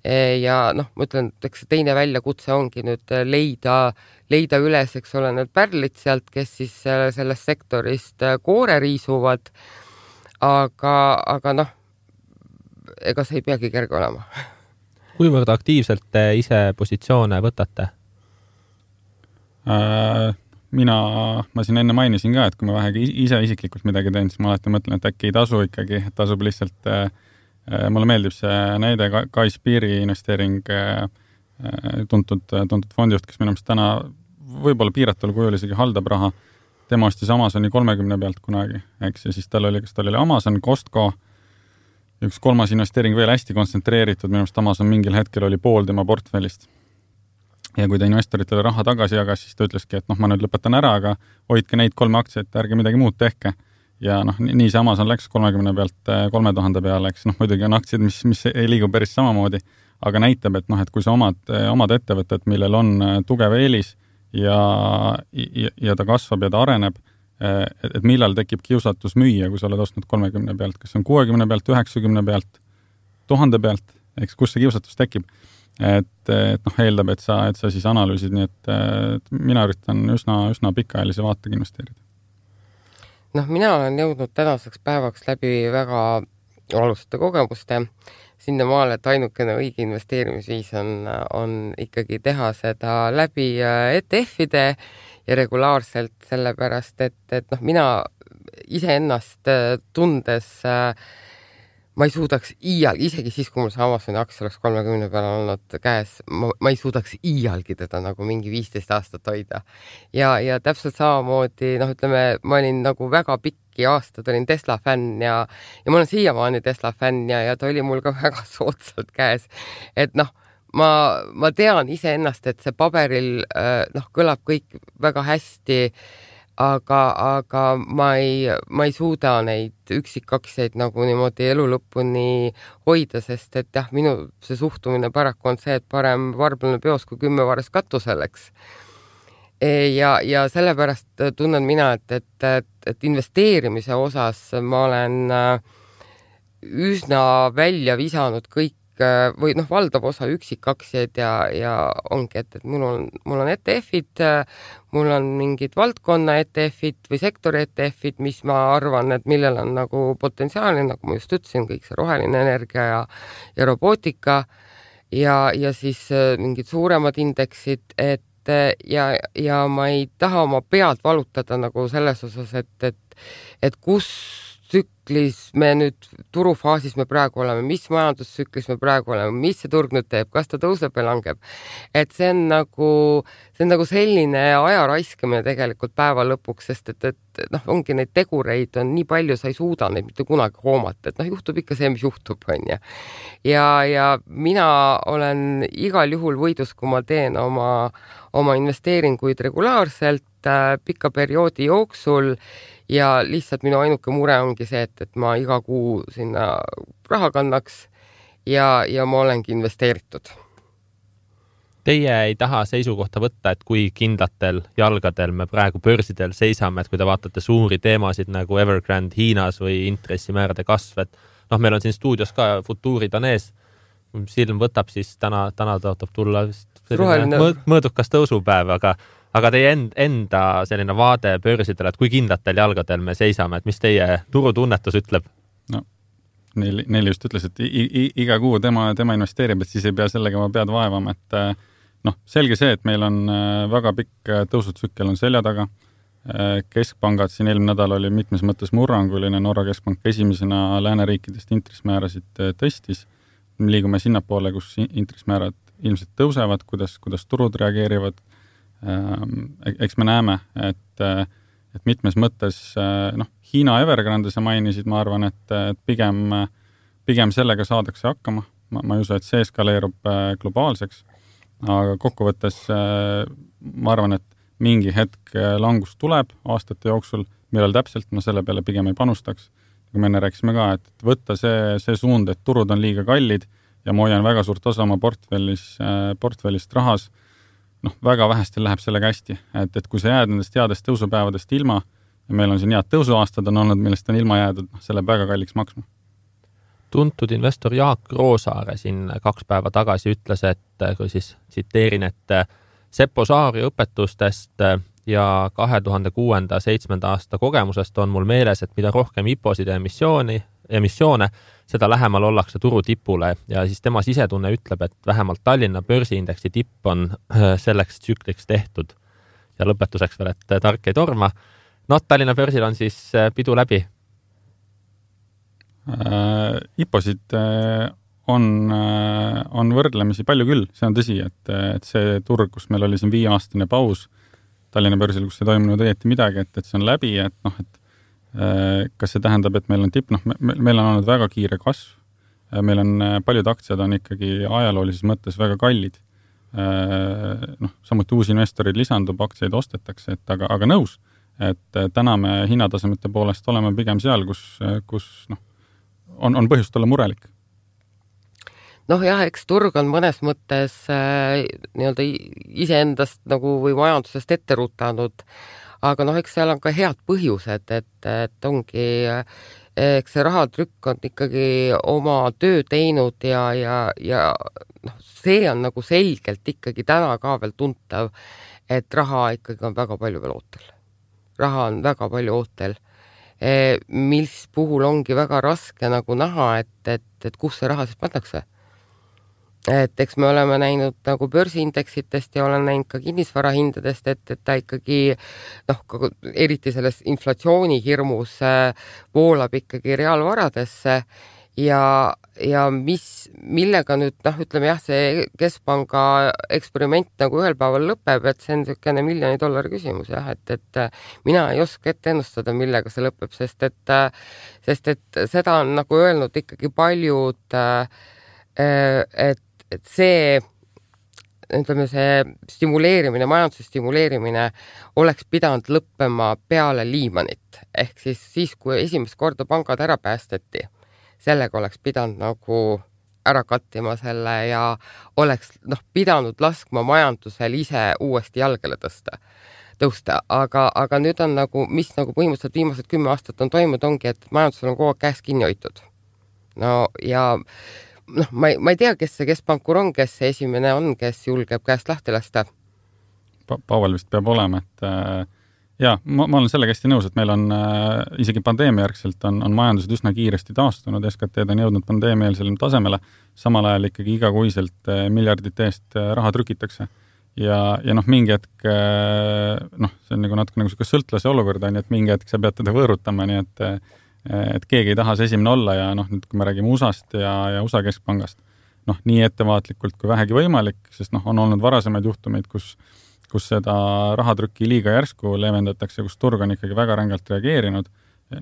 Ja noh, ma ütlen, eks teine väljakutse ongi nüüd leida, leida üles, eks ole, need pärlid sealt, kes siis sellest sektorist koore riisuvad, aga, aga noh, ega see ei peagi kerge olema. Kuivõrd aktiivselt te ise positsioone võtate? Äh, mina, ma siin enne mainisin ka, et kui ma vähegi ise isiklikult midagi teen, siis ma alati mõtlen, et äkki ei tasu ikkagi, et tasub lihtsalt äh, mulle meeldib see näide Kai Spiiri investeering tuntud, tuntud fondijuht, kes minu meelest täna võib-olla piiratul kujul isegi haldab raha. Tema ostis Amazoni kolmekümne pealt kunagi, eks, ja siis tal oli, kas tal oli Amazon, Costco, üks kolmas investeering veel hästi kontsentreeritud, minu meelest Amazon mingil hetkel oli pool tema portfellist. Ja kui ta investoritele raha tagasi jagas, siis ta ütleski, et noh, ma nüüd lõpetan ära, aga hoidke neid kolme aktsiat, ärge midagi muud tehke. Ja noh, nii see Amazon läks kolmekümne pealt kolme tuhande peale, eks noh, muidugi on aktsiad, mis, mis ei liigu päris samamoodi, aga näitab, et noh, et kui sa omad, omad ettevõtet, millel on tugev eelis ja, ja, ja ta kasvab ja ta areneb, et, et millal tekib kiusatus müüa, kui sa oled ostnud kolmekümne pealt, kas on kuuekümne pealt, üheksakümne pealt, tuhande pealt, eks kus see kiusatus tekib. Et, et noh, eeldab, et sa, et sa siis analüüsid, nii et, et mina üritan üsna, üsna pikaajalise vaatega investeerida. Noh, mina olen jõudnud tänaseks päevaks läbi väga aluste kogemuste sinna maale, et ainukene õige investeerimisviis on, on ikkagi teha seda läbi E T F-ide ja regulaarselt, sellepärast, et, et noh, mina iseennast tundes ma ei suudaks iial, isegi siis, kui mul see Amazoni aktsia oleks kolmekümne peale olnud käes, ma, ma ei suudaks iialgi teda nagu mingi viisteist aastat hoida. Ja, ja täpselt samamoodi, noh, ütleme, ma olin nagu väga pikki aastad, olin Tesla fänn ja, ja ma olen siiamaani Tesla fänn ja, ja ta oli mul ka väga soodsalt käes. Et noh, ma, ma tean iseennast, et see paberil, noh, kõlab kõik väga hästi, aga, aga ma ei, ma ei suuda neid üksikaksjaid nagu niimoodi elu lõpuni hoida, sest et jah, minu see suhtumine paraku on see, et parem varblane peos kui kümme vares katuselleks. Ja, ja sellepärast tunnen mina, et, et, et, et investeerimise osas ma olen üsna välja visanud kõik või noh, valdav osa üksikaksjaid ja, ja ongi, et, et mul on, mul on E T F-id, mul on mingid valdkonna E T F-id või sektori E T F-id, mis ma arvan, et millel on nagu potentsiaali, nagu ma just ütlesin, kõik see roheline energia ja, ja robootika ja, ja siis mingid suuremad indeksid, et ja, ja ma ei taha oma pealt valutada nagu selles osas, et, et, et kus tsüklis me nüüd turufaasis me praegu oleme, mis majandustsüklis me praegu oleme, mis see turg nüüd teeb, kas ta tõuseb ja langeb. Et see on nagu, see on nagu selline aja raiskamine tegelikult päeva lõpuks, sest et, et noh, ongi neid tegureid on nii palju, sa ei suuda neid mitte kunagi hoomata, et noh, juhtub ikka see, mis juhtub, on ja. Ja, ja mina olen igal juhul võidus, kui ma teen oma, oma investeeringuid regulaarselt äh, pika perioodi jooksul ja lihtsalt minu ainuke mure ongi see, et, et ma iga kuu sinna raha kannaks ja, ja ma olengi investeeritud. Teie ei taha seisukohta võtta, et kui kindlatel jalgadel me praegu börsidel seisame, et kui te vaatate suuri teemasid nagu Evergrande Hiinas või intressimäärade kasv, et noh, meil on siin stuudios ka futuurid on ees, silm võtab, siis täna, täna tõotab tulla selline mõõdukas tõusupäev, aga Aga teie enda selline vaade börsidele, et kui kindlatel jalgadel me seisame, et mis teie turutunnetus ütleb? No, Neil, Neil just ütles, et i, i, iga kuu tema, tema investeerib, et siis ei pea sellega ma pead vaevama, et noh, selge see, et meil on väga pikk tõusutsükkel on selja taga. Keskpangad siin eelmine nädal oli mitmes mõttes murranguline, Norra keskpank esimesena lääneriikidest intressmäärasid tõstis. Liigume sinnapoole, kus intressmäärad ilmselt tõusevad, kuidas, kuidas turud reageerivad. Eks me näeme, et, et mitmes mõttes noh, Hiina Evergrande sa mainisid, ma arvan, et, et pigem, pigem sellega saadakse hakkama. Ma, ma ei usu, et see eskaleerub globaalseks, aga kokkuvõttes ma arvan, et mingi hetk langus tuleb aastate jooksul, millal täpselt ma selle peale pigem ei panustaks. Kui me enne rääkisime ka, et võtta see, see suund, et turud on liiga kallid ja ma hoian väga suurt osa oma portfellis, portfellist rahas, noh, väga vähestel läheb sellega hästi, et, et kui sa jääd nendest headest tõusupäevadest ilma ja meil on siin head tõusuaastad on olnud, millest on ilma jäädud, noh, selle väga kalliks maksma. Tuntud investor Jaak Roosaare siin kaks päeva tagasi ütles, et kui siis tsiteerin, et Seppo Saari õpetustest ja kahe tuhande kuuenda seitsmenda aasta kogemusest on mul meeles, et mida rohkem I P O-side emissiooni, emissioone, seda lähemal ollakse turu tipule ja siis tema sisetunne ütleb, et vähemalt Tallinna börsiindeksi tipp on selleks tsükliks tehtud. Ja lõpetuseks veel, et tark ei torma. No, Tallinna börsil on siis pidu läbi. Äh, I P O-sid on, on võrdlemisi palju küll, see on tõsi, et, et see turg, kus meil oli siin viieaastane paus Tallinna börsil, kus ei toimunud õieti midagi, et, et see on läbi, et noh, et kas see tähendab, et meil on tipp, noh, meil on olnud väga kiire kasv, meil on paljud aktsiad on ikkagi ajaloolises mõttes väga kallid, noh, samuti uusi investorid lisandub, aktsiaid ostetakse, et aga, aga nõus, et täna me hinnatasemete poolest oleme pigem seal, kus, kus noh, on, on põhjust olla murelik. noh jah, eks turg on mõnes mõttes äh, nii-öelda iseendast nagu või majandusest ette rutanud, aga noh, eks seal on ka head põhjused, et, et ongi, eks see rahatrükk on ikkagi oma töö teinud ja, ja, ja noh, see on nagu selgelt ikkagi täna ka veel tuntav, et raha ikkagi on väga palju veel ootel. Raha on väga palju ootel, mis puhul ongi väga raske nagu näha, et, et, et kus see raha siis pannakse. Et eks me oleme näinud nagu börsiindeksitest ja olen näinud ka kinnisvarahindadest, et, et ta ikkagi noh, eriti selles inflatsiooni hirmus voolab ikkagi reaalvaradesse ja, ja mis, millega nüüd noh, ütleme jah, see keskpanga eksperiment nagu ühel päeval lõpeb, et see on niisugune miljoni dollari küsimus jah, et, et mina ei oska ette ennustada, millega see lõpeb, sest et, sest et seda on nagu öelnud ikkagi paljud, et et see, ütleme, see stimuleerimine, majanduse stimuleerimine oleks pidanud lõppema peale Lehmanit. Ehk siis siis, kui esimest korda pangad ära päästeti, sellega oleks pidanud nagu ära kattima selle ja oleks noh, pidanud laskma majandusel ise uuesti jalgele tõsta. tõusta, aga, aga nüüd on nagu, mis nagu põhimõtteliselt viimased kümme aastat on toimunud, ongi, et majandusel on kogu aeg käes kinni hoitud. No ja noh, ma ei, ma ei tea, kes see keskpankur on, kes see esimene on, kes julgeb käest lahti lasta. Pa- Pavel vist peab olema, et äh, jaa, ma, ma olen sellega hästi nõus, et meil on äh, isegi pandeemiajärgselt on, on majandused üsna kiiresti taastunud, S K T on jõudnud pandeemialisele tasemele, samal ajal ikkagi igakuiselt äh, miljardite eest äh, raha trükitakse. Ja, ja noh, mingi hetk, äh, noh, see on nagu natuke nagu selline sõltlase olukord, on, et mingi hetk sa pead teda võõrutama, nii et äh, et keegi ei taha see esimene olla ja noh, nüüd kui me räägime U S A-st ja, ja U S A keskpangast, noh, nii ettevaatlikult kui vähegi võimalik, sest noh, on olnud varasemaid juhtumeid, kus, kus seda rahatrükki liiga järsku leevendatakse, kus turg on ikkagi väga rängalt reageerinud.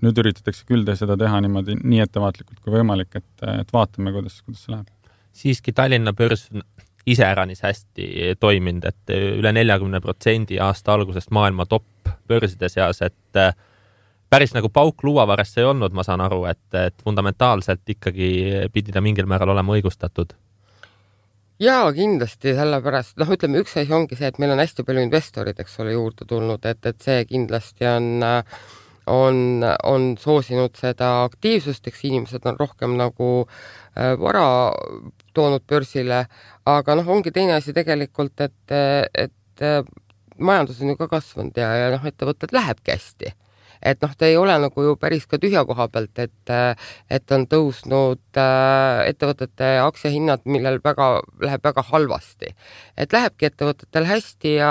Nüüd üritatakse küll seda teha niimoodi nii ettevaatlikult kui võimalik, et, et vaatame, kuidas, kuidas see läheb. Siiski Tallinna börs iseäranis hästi toiminud, et üle neljakümne protsendi aasta algusest maailma top börside seas, et päris nagu pauk luuavaresse ei olnud, ma saan aru, et, et fundamentaalselt ikkagi pidi ta mingil määral olema õigustatud. Jaa, kindlasti, sellepärast, noh, ütleme, üks asi ongi see, et meil on hästi palju investorid, eks ole, juurde tulnud, et, et see kindlasti on, on, on soosinud seda aktiivsust, eks inimesed on rohkem nagu vara toonud börsile, aga noh, ongi teine asi tegelikult, et, et majandus on ju ka kasvanud ja, ja noh, ettevõtted lähebki hästi. Et noh, ta ei ole nagu ju päris ka tühja koha pealt, et, et on tõusnud ettevõtete aktsiahinnad, millel väga, läheb väga halvasti. Et lähebki ettevõtetel hästi ja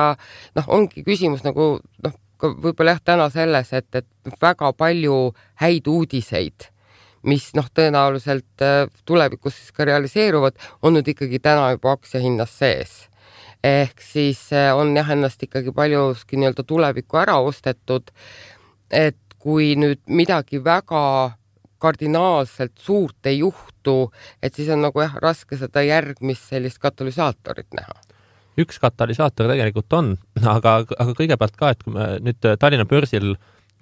noh, ongi küsimus nagu noh, võib-olla jah täna selles, et, et väga palju häid uudiseid, mis noh, tõenäoliselt tulevikus siis ka realiseeruvad, on nüüd ikkagi täna juba aktsiahinnas sees. Ehk siis on jah ennast ikkagi paljuski nii-öelda tulevikku ära ostetud, et kui nüüd midagi väga kardinaalselt suurt ei juhtu, et siis on nagu jah, raske seda järgmist sellist katalüsaatorit näha. Üks katalüsaator tegelikult on, aga, aga kõigepealt ka, et kui me nüüd Tallinna börsil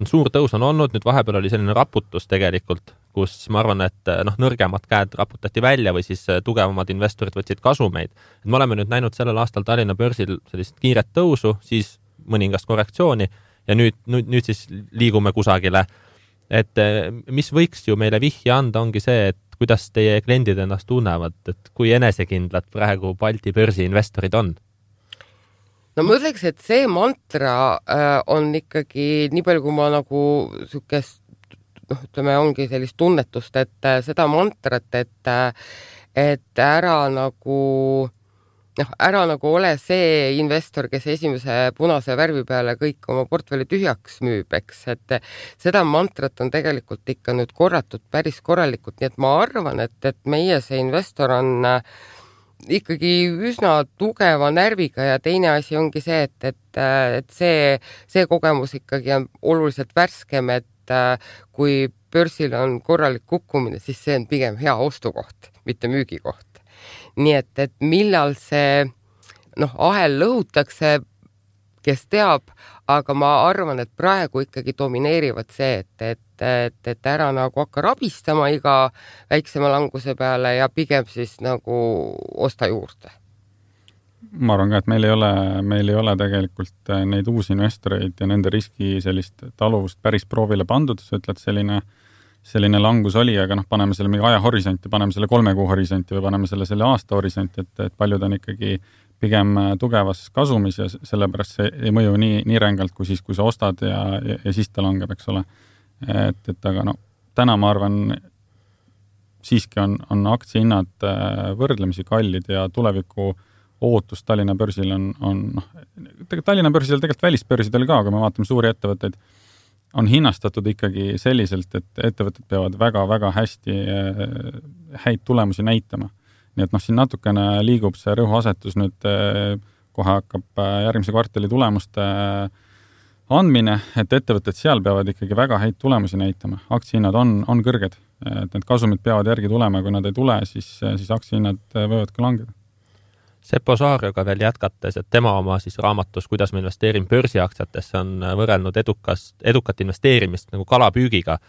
suur tõus on olnud, nüüd vahepeal oli selline raputus tegelikult, kus ma arvan, et noh, nõrgemad käed raputati välja või siis tugevamad investorid võtsid kasumeid. Et me oleme nüüd näinud sellel aastal Tallinna börsil sellist kiiret tõusu, siis mõningast korrektsiooni, ja nüüd, nüüd, nüüd siis liigume kusagile. Et mis võiks ju meile vihje anda, ongi see, et kuidas teie kliendid ennast tunnevad, et kui enesekindlad praegu Balti börsi investorid on? No ma ütleks, et see mantra on ikkagi nii palju, kui ma nagu sükest, noh, ütleme, ongi sellist tunnetust, et seda mantrat, et, et ära nagu noh, ära nagu ole see investor, kes esimese punase värvi peale kõik oma portfelli tühjaks müüb, eks, et seda mantrat on tegelikult ikka nüüd korratud päris korralikult, nii et ma arvan, et, et meie see investor on ikkagi üsna tugeva närviga ja teine asi ongi see, et, et, et see, see kogemus ikkagi on oluliselt värskem, et kui börsil on korralik kukkumine, siis see on pigem hea ostukoht, mitte müügikoht. Nii et, et millal see noh, ahel lõhutakse, kes teab, aga ma arvan, et praegu ikkagi domineerivad see, et, et et, et ära nagu hakka rabistama iga väiksema languse peale ja pigem siis nagu osta juurde. Ma arvan ka, et meil ei ole, meil ei ole tegelikult neid uusi investoreid ja nende riski sellist taluvust päris proovile pandud, sa ütled selline, selline langus oli, aga noh, paneme selle mingi ajahorisonti, paneme selle kolme kuu horisonti või paneme selle selle aasta horisonti, et, et paljud on ikkagi pigem tugevas kasumis ja sellepärast see ei mõju nii, nii rängalt kui siis, kui sa ostad ja, ja, ja siis ta langeb, eks ole. Et, et aga no, täna ma arvan, siiski on, on aktsiahinnad võrdlemisi kallid ja tuleviku ootus Tallinna börsil on, on noh, Tallinna börsil tegelikult välisbörsidel ka, kui me vaatame suuri ettevõtteid, on hinnastatud ikkagi selliselt, et ettevõtted peavad väga-väga hästi häid tulemusi näitama. Nii et noh, siin natukene liigub see rõhuasetus nüüd kohe hakkab järgmise kvartali tulemuste andmine, et ettevõtted seal peavad ikkagi väga häid tulemusi näitama. Aktsiahinnad on, on kõrged, et need kasumid peavad järgi tulema, kui nad ei tule, siis, siis aktsiahinnad võivad ka langeda. Seppo Saarjoga veel jätkates, et tema oma siis raamatus, kuidas ma investeerin börsiaktsiatesse, on võrrelnud edukas, edukat investeerimist nagu kalapüügiga.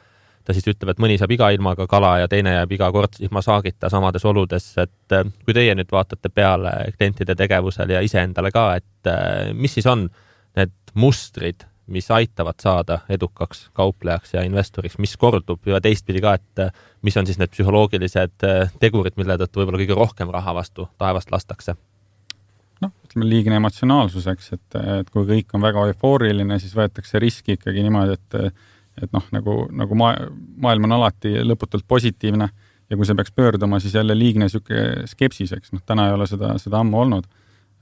Ta siis ütleb, et mõni saab iga ilmaga kala ja teine jääb iga kord ilma saagita samades oludes, et kui teie nüüd vaatate peale klientide tegevusel ja iseendale ka, et mis siis on need mustrid, mis aitavad saada edukaks kauplejaks ja investoriks, mis kordub ja teistpidi ka, et mis on siis need psühholoogilised tegurid, mille tõttu võib-olla kõige rohkem raha vastu taevast lastakse? noh, ütleme liigne emotsionaalsuseks, et, et kui kõik on väga eufooriline, siis võetakse riski ikkagi niimoodi, et et noh, nagu, nagu ma, maailm on alati lõputult positiivne ja kui see peaks pöörduma, siis jälle liigne süke skepsiseks. Noh, täna ei ole seda, seda ammu olnud.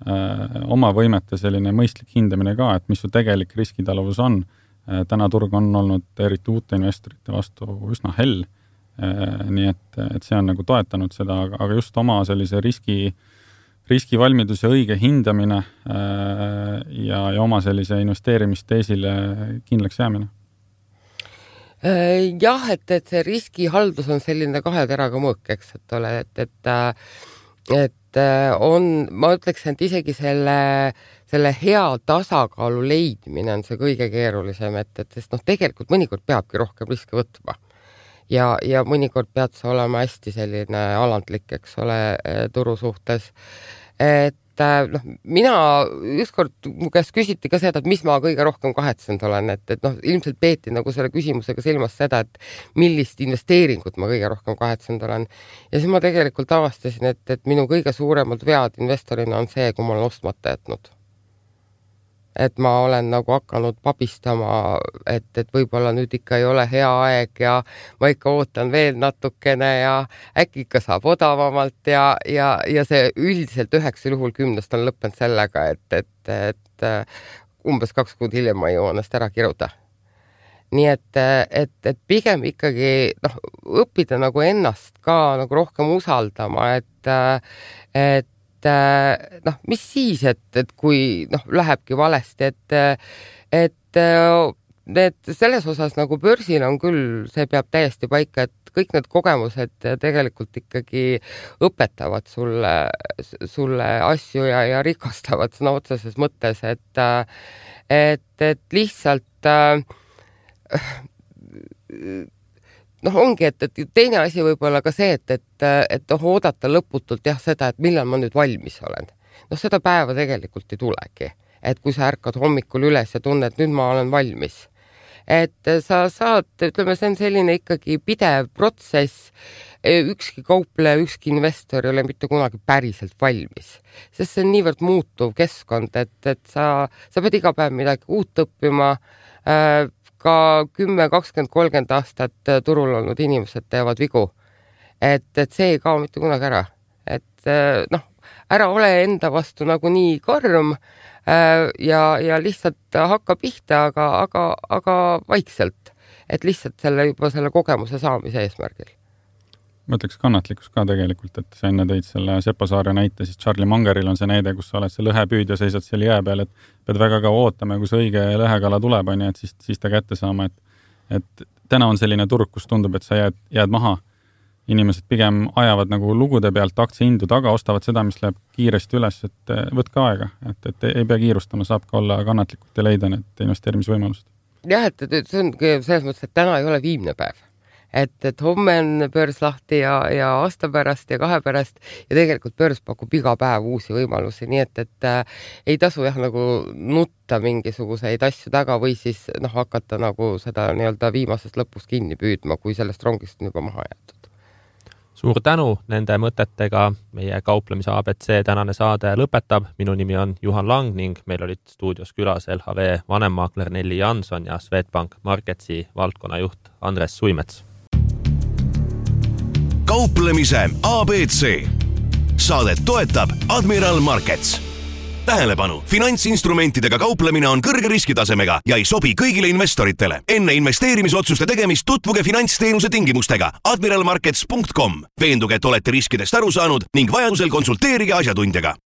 Äh, oma võimete selline mõistlik hindamine ka, et mis su tegelik riskitaluvus on. Äh, täna turg on olnud eriti uute investorite vastu üsna hell. Äh, nii et, et see on nagu toetanud seda, aga, aga just oma sellise riski, riskivalmiduse õige hindamine äh, ja, ja oma sellise investeerimisteesile kindlaks jäämine. Jah, et, et see riskihaldus on selline kahe teraga mõõk, eks, et ole, et, et, et on, ma ütleks, et isegi selle, selle hea tasakaalu leidmine on see kõige keerulisem, et, et sest noh, tegelikult mõnikord peabki rohkem riske võtma ja, ja mõnikord pead sa olema hästi selline alandlik, eks ole, turu suhtes, et noh, mina ükskord mu käest küsiti ka seda, et mis ma kõige rohkem kahetsend olen, et, et noh, ilmselt peeti nagu selle küsimusega silmas seda, et millist investeeringut ma kõige rohkem kahetsend olen. Ja siis ma tegelikult avastasin, et, et minu kõige suuremad vead investorina on see, kui ma olen ostmata jätnud. Et ma olen nagu hakanud pabistama, et, et võib-olla nüüd ikka ei ole hea aeg ja ma ikka ootan veel natukene ja äkki ikka saab odavamalt ja, ja, ja see üldiselt üheksal juhul kümnest on lõppenud sellega, et, et, et umbes kaks kuud hiljem ma ei jõua ennast ära kiruda. Nii et, et, et pigem ikkagi noh, õppida nagu ennast ka nagu rohkem usaldama, et, et noh, mis siis, et, et kui noh, lähebki valesti, et, et need selles osas nagu börsil on küll, see peab täiesti paika, et kõik need kogemused tegelikult ikkagi õpetavad sulle, sulle asju ja, ja rikastavad sõna otseses mõttes, et, et, et lihtsalt noh, ongi, et, et teine asi võib olla ka see, et, et, et oh, oodata lõputult jah seda, et millal ma nüüd valmis olen. Noh, seda päeva tegelikult ei tulegi. Et kui sa ärkad hommikul üles ja tunned, nüüd ma olen valmis. Et sa saad, ütleme, see on selline ikkagi pidev protsess. Ükski kaupleja, ükski investor ei ole mitte kunagi päriselt valmis. Sest see on niivõrd muutuv keskkond, et, et sa, sa pead iga päev midagi uut õppima, äh, ka kümme, kakskümmend, kolmkümmend aastat turul olnud inimesed teevad vigu. Et, et see ei kao mitte kunagi ära. Et noh, ära ole enda vastu nagu nii karm ja, ja lihtsalt hakka pihta, aga, aga, aga vaikselt. Et lihtsalt selle juba selle kogemuse saamise eesmärgil. Ma ütleks kannatlikkus ka tegelikult, et sa enne tõid selle Seppo Saarja näite, siis Charlie Mungeril on see näide, kus sa oled see lõhepüüd ja seisad seal jää peal, et pead väga kaua ootama ja kui see õige lõhekala tuleb, on, et siis, siis ta kätte saama, et, et täna on selline turg, kus tundub, et sa jääd, jääd maha. Inimesed pigem ajavad nagu lugude pealt aktsiahindu taga, ostavad seda, mis läheb kiiresti üles, et võtke aega, et, et ei pea kiirustama, saab ka olla kannatlikult ja leida need investeerimisvõimalused. jah, et, et see on selles mõttes, et täna ei ole viimne päev. Et, et homme on börs lahti ja, ja aasta pärast ja kahe pärast ja tegelikult börs pakub iga päev uusi võimalusi, nii et, et äh, ei tasu jah nagu nutta mingisuguseid asju taga või siis noh, hakata nagu seda nii-öelda viimasest lõpust kinni püüdma, kui sellest rongist on juba maha jäetud. Suur tänu nende mõtetega. Meie kauplemise A B C tänane saade lõpetab. Minu nimi on Juhan Lang ning meil olid stuudios külas L H V vanemmaakler Nelli Jansson ja Swedbank Marketsi valdkonnajuht Andres Suimets. Kauplemise A B C. Saadet toetab Admiral Markets. Tähelepanu, finantsinstrumentidega kauplemine on kõrge riskitasemega ja ei sobi kõigile investoritele. Enne investeerimisotsuste tegemist tutvuge finantsteenuse tingimustega admiralmarkets punkt com. Veenduge, et olete riskidest aru saanud ning vajadusel konsulteerige asjatundjaga.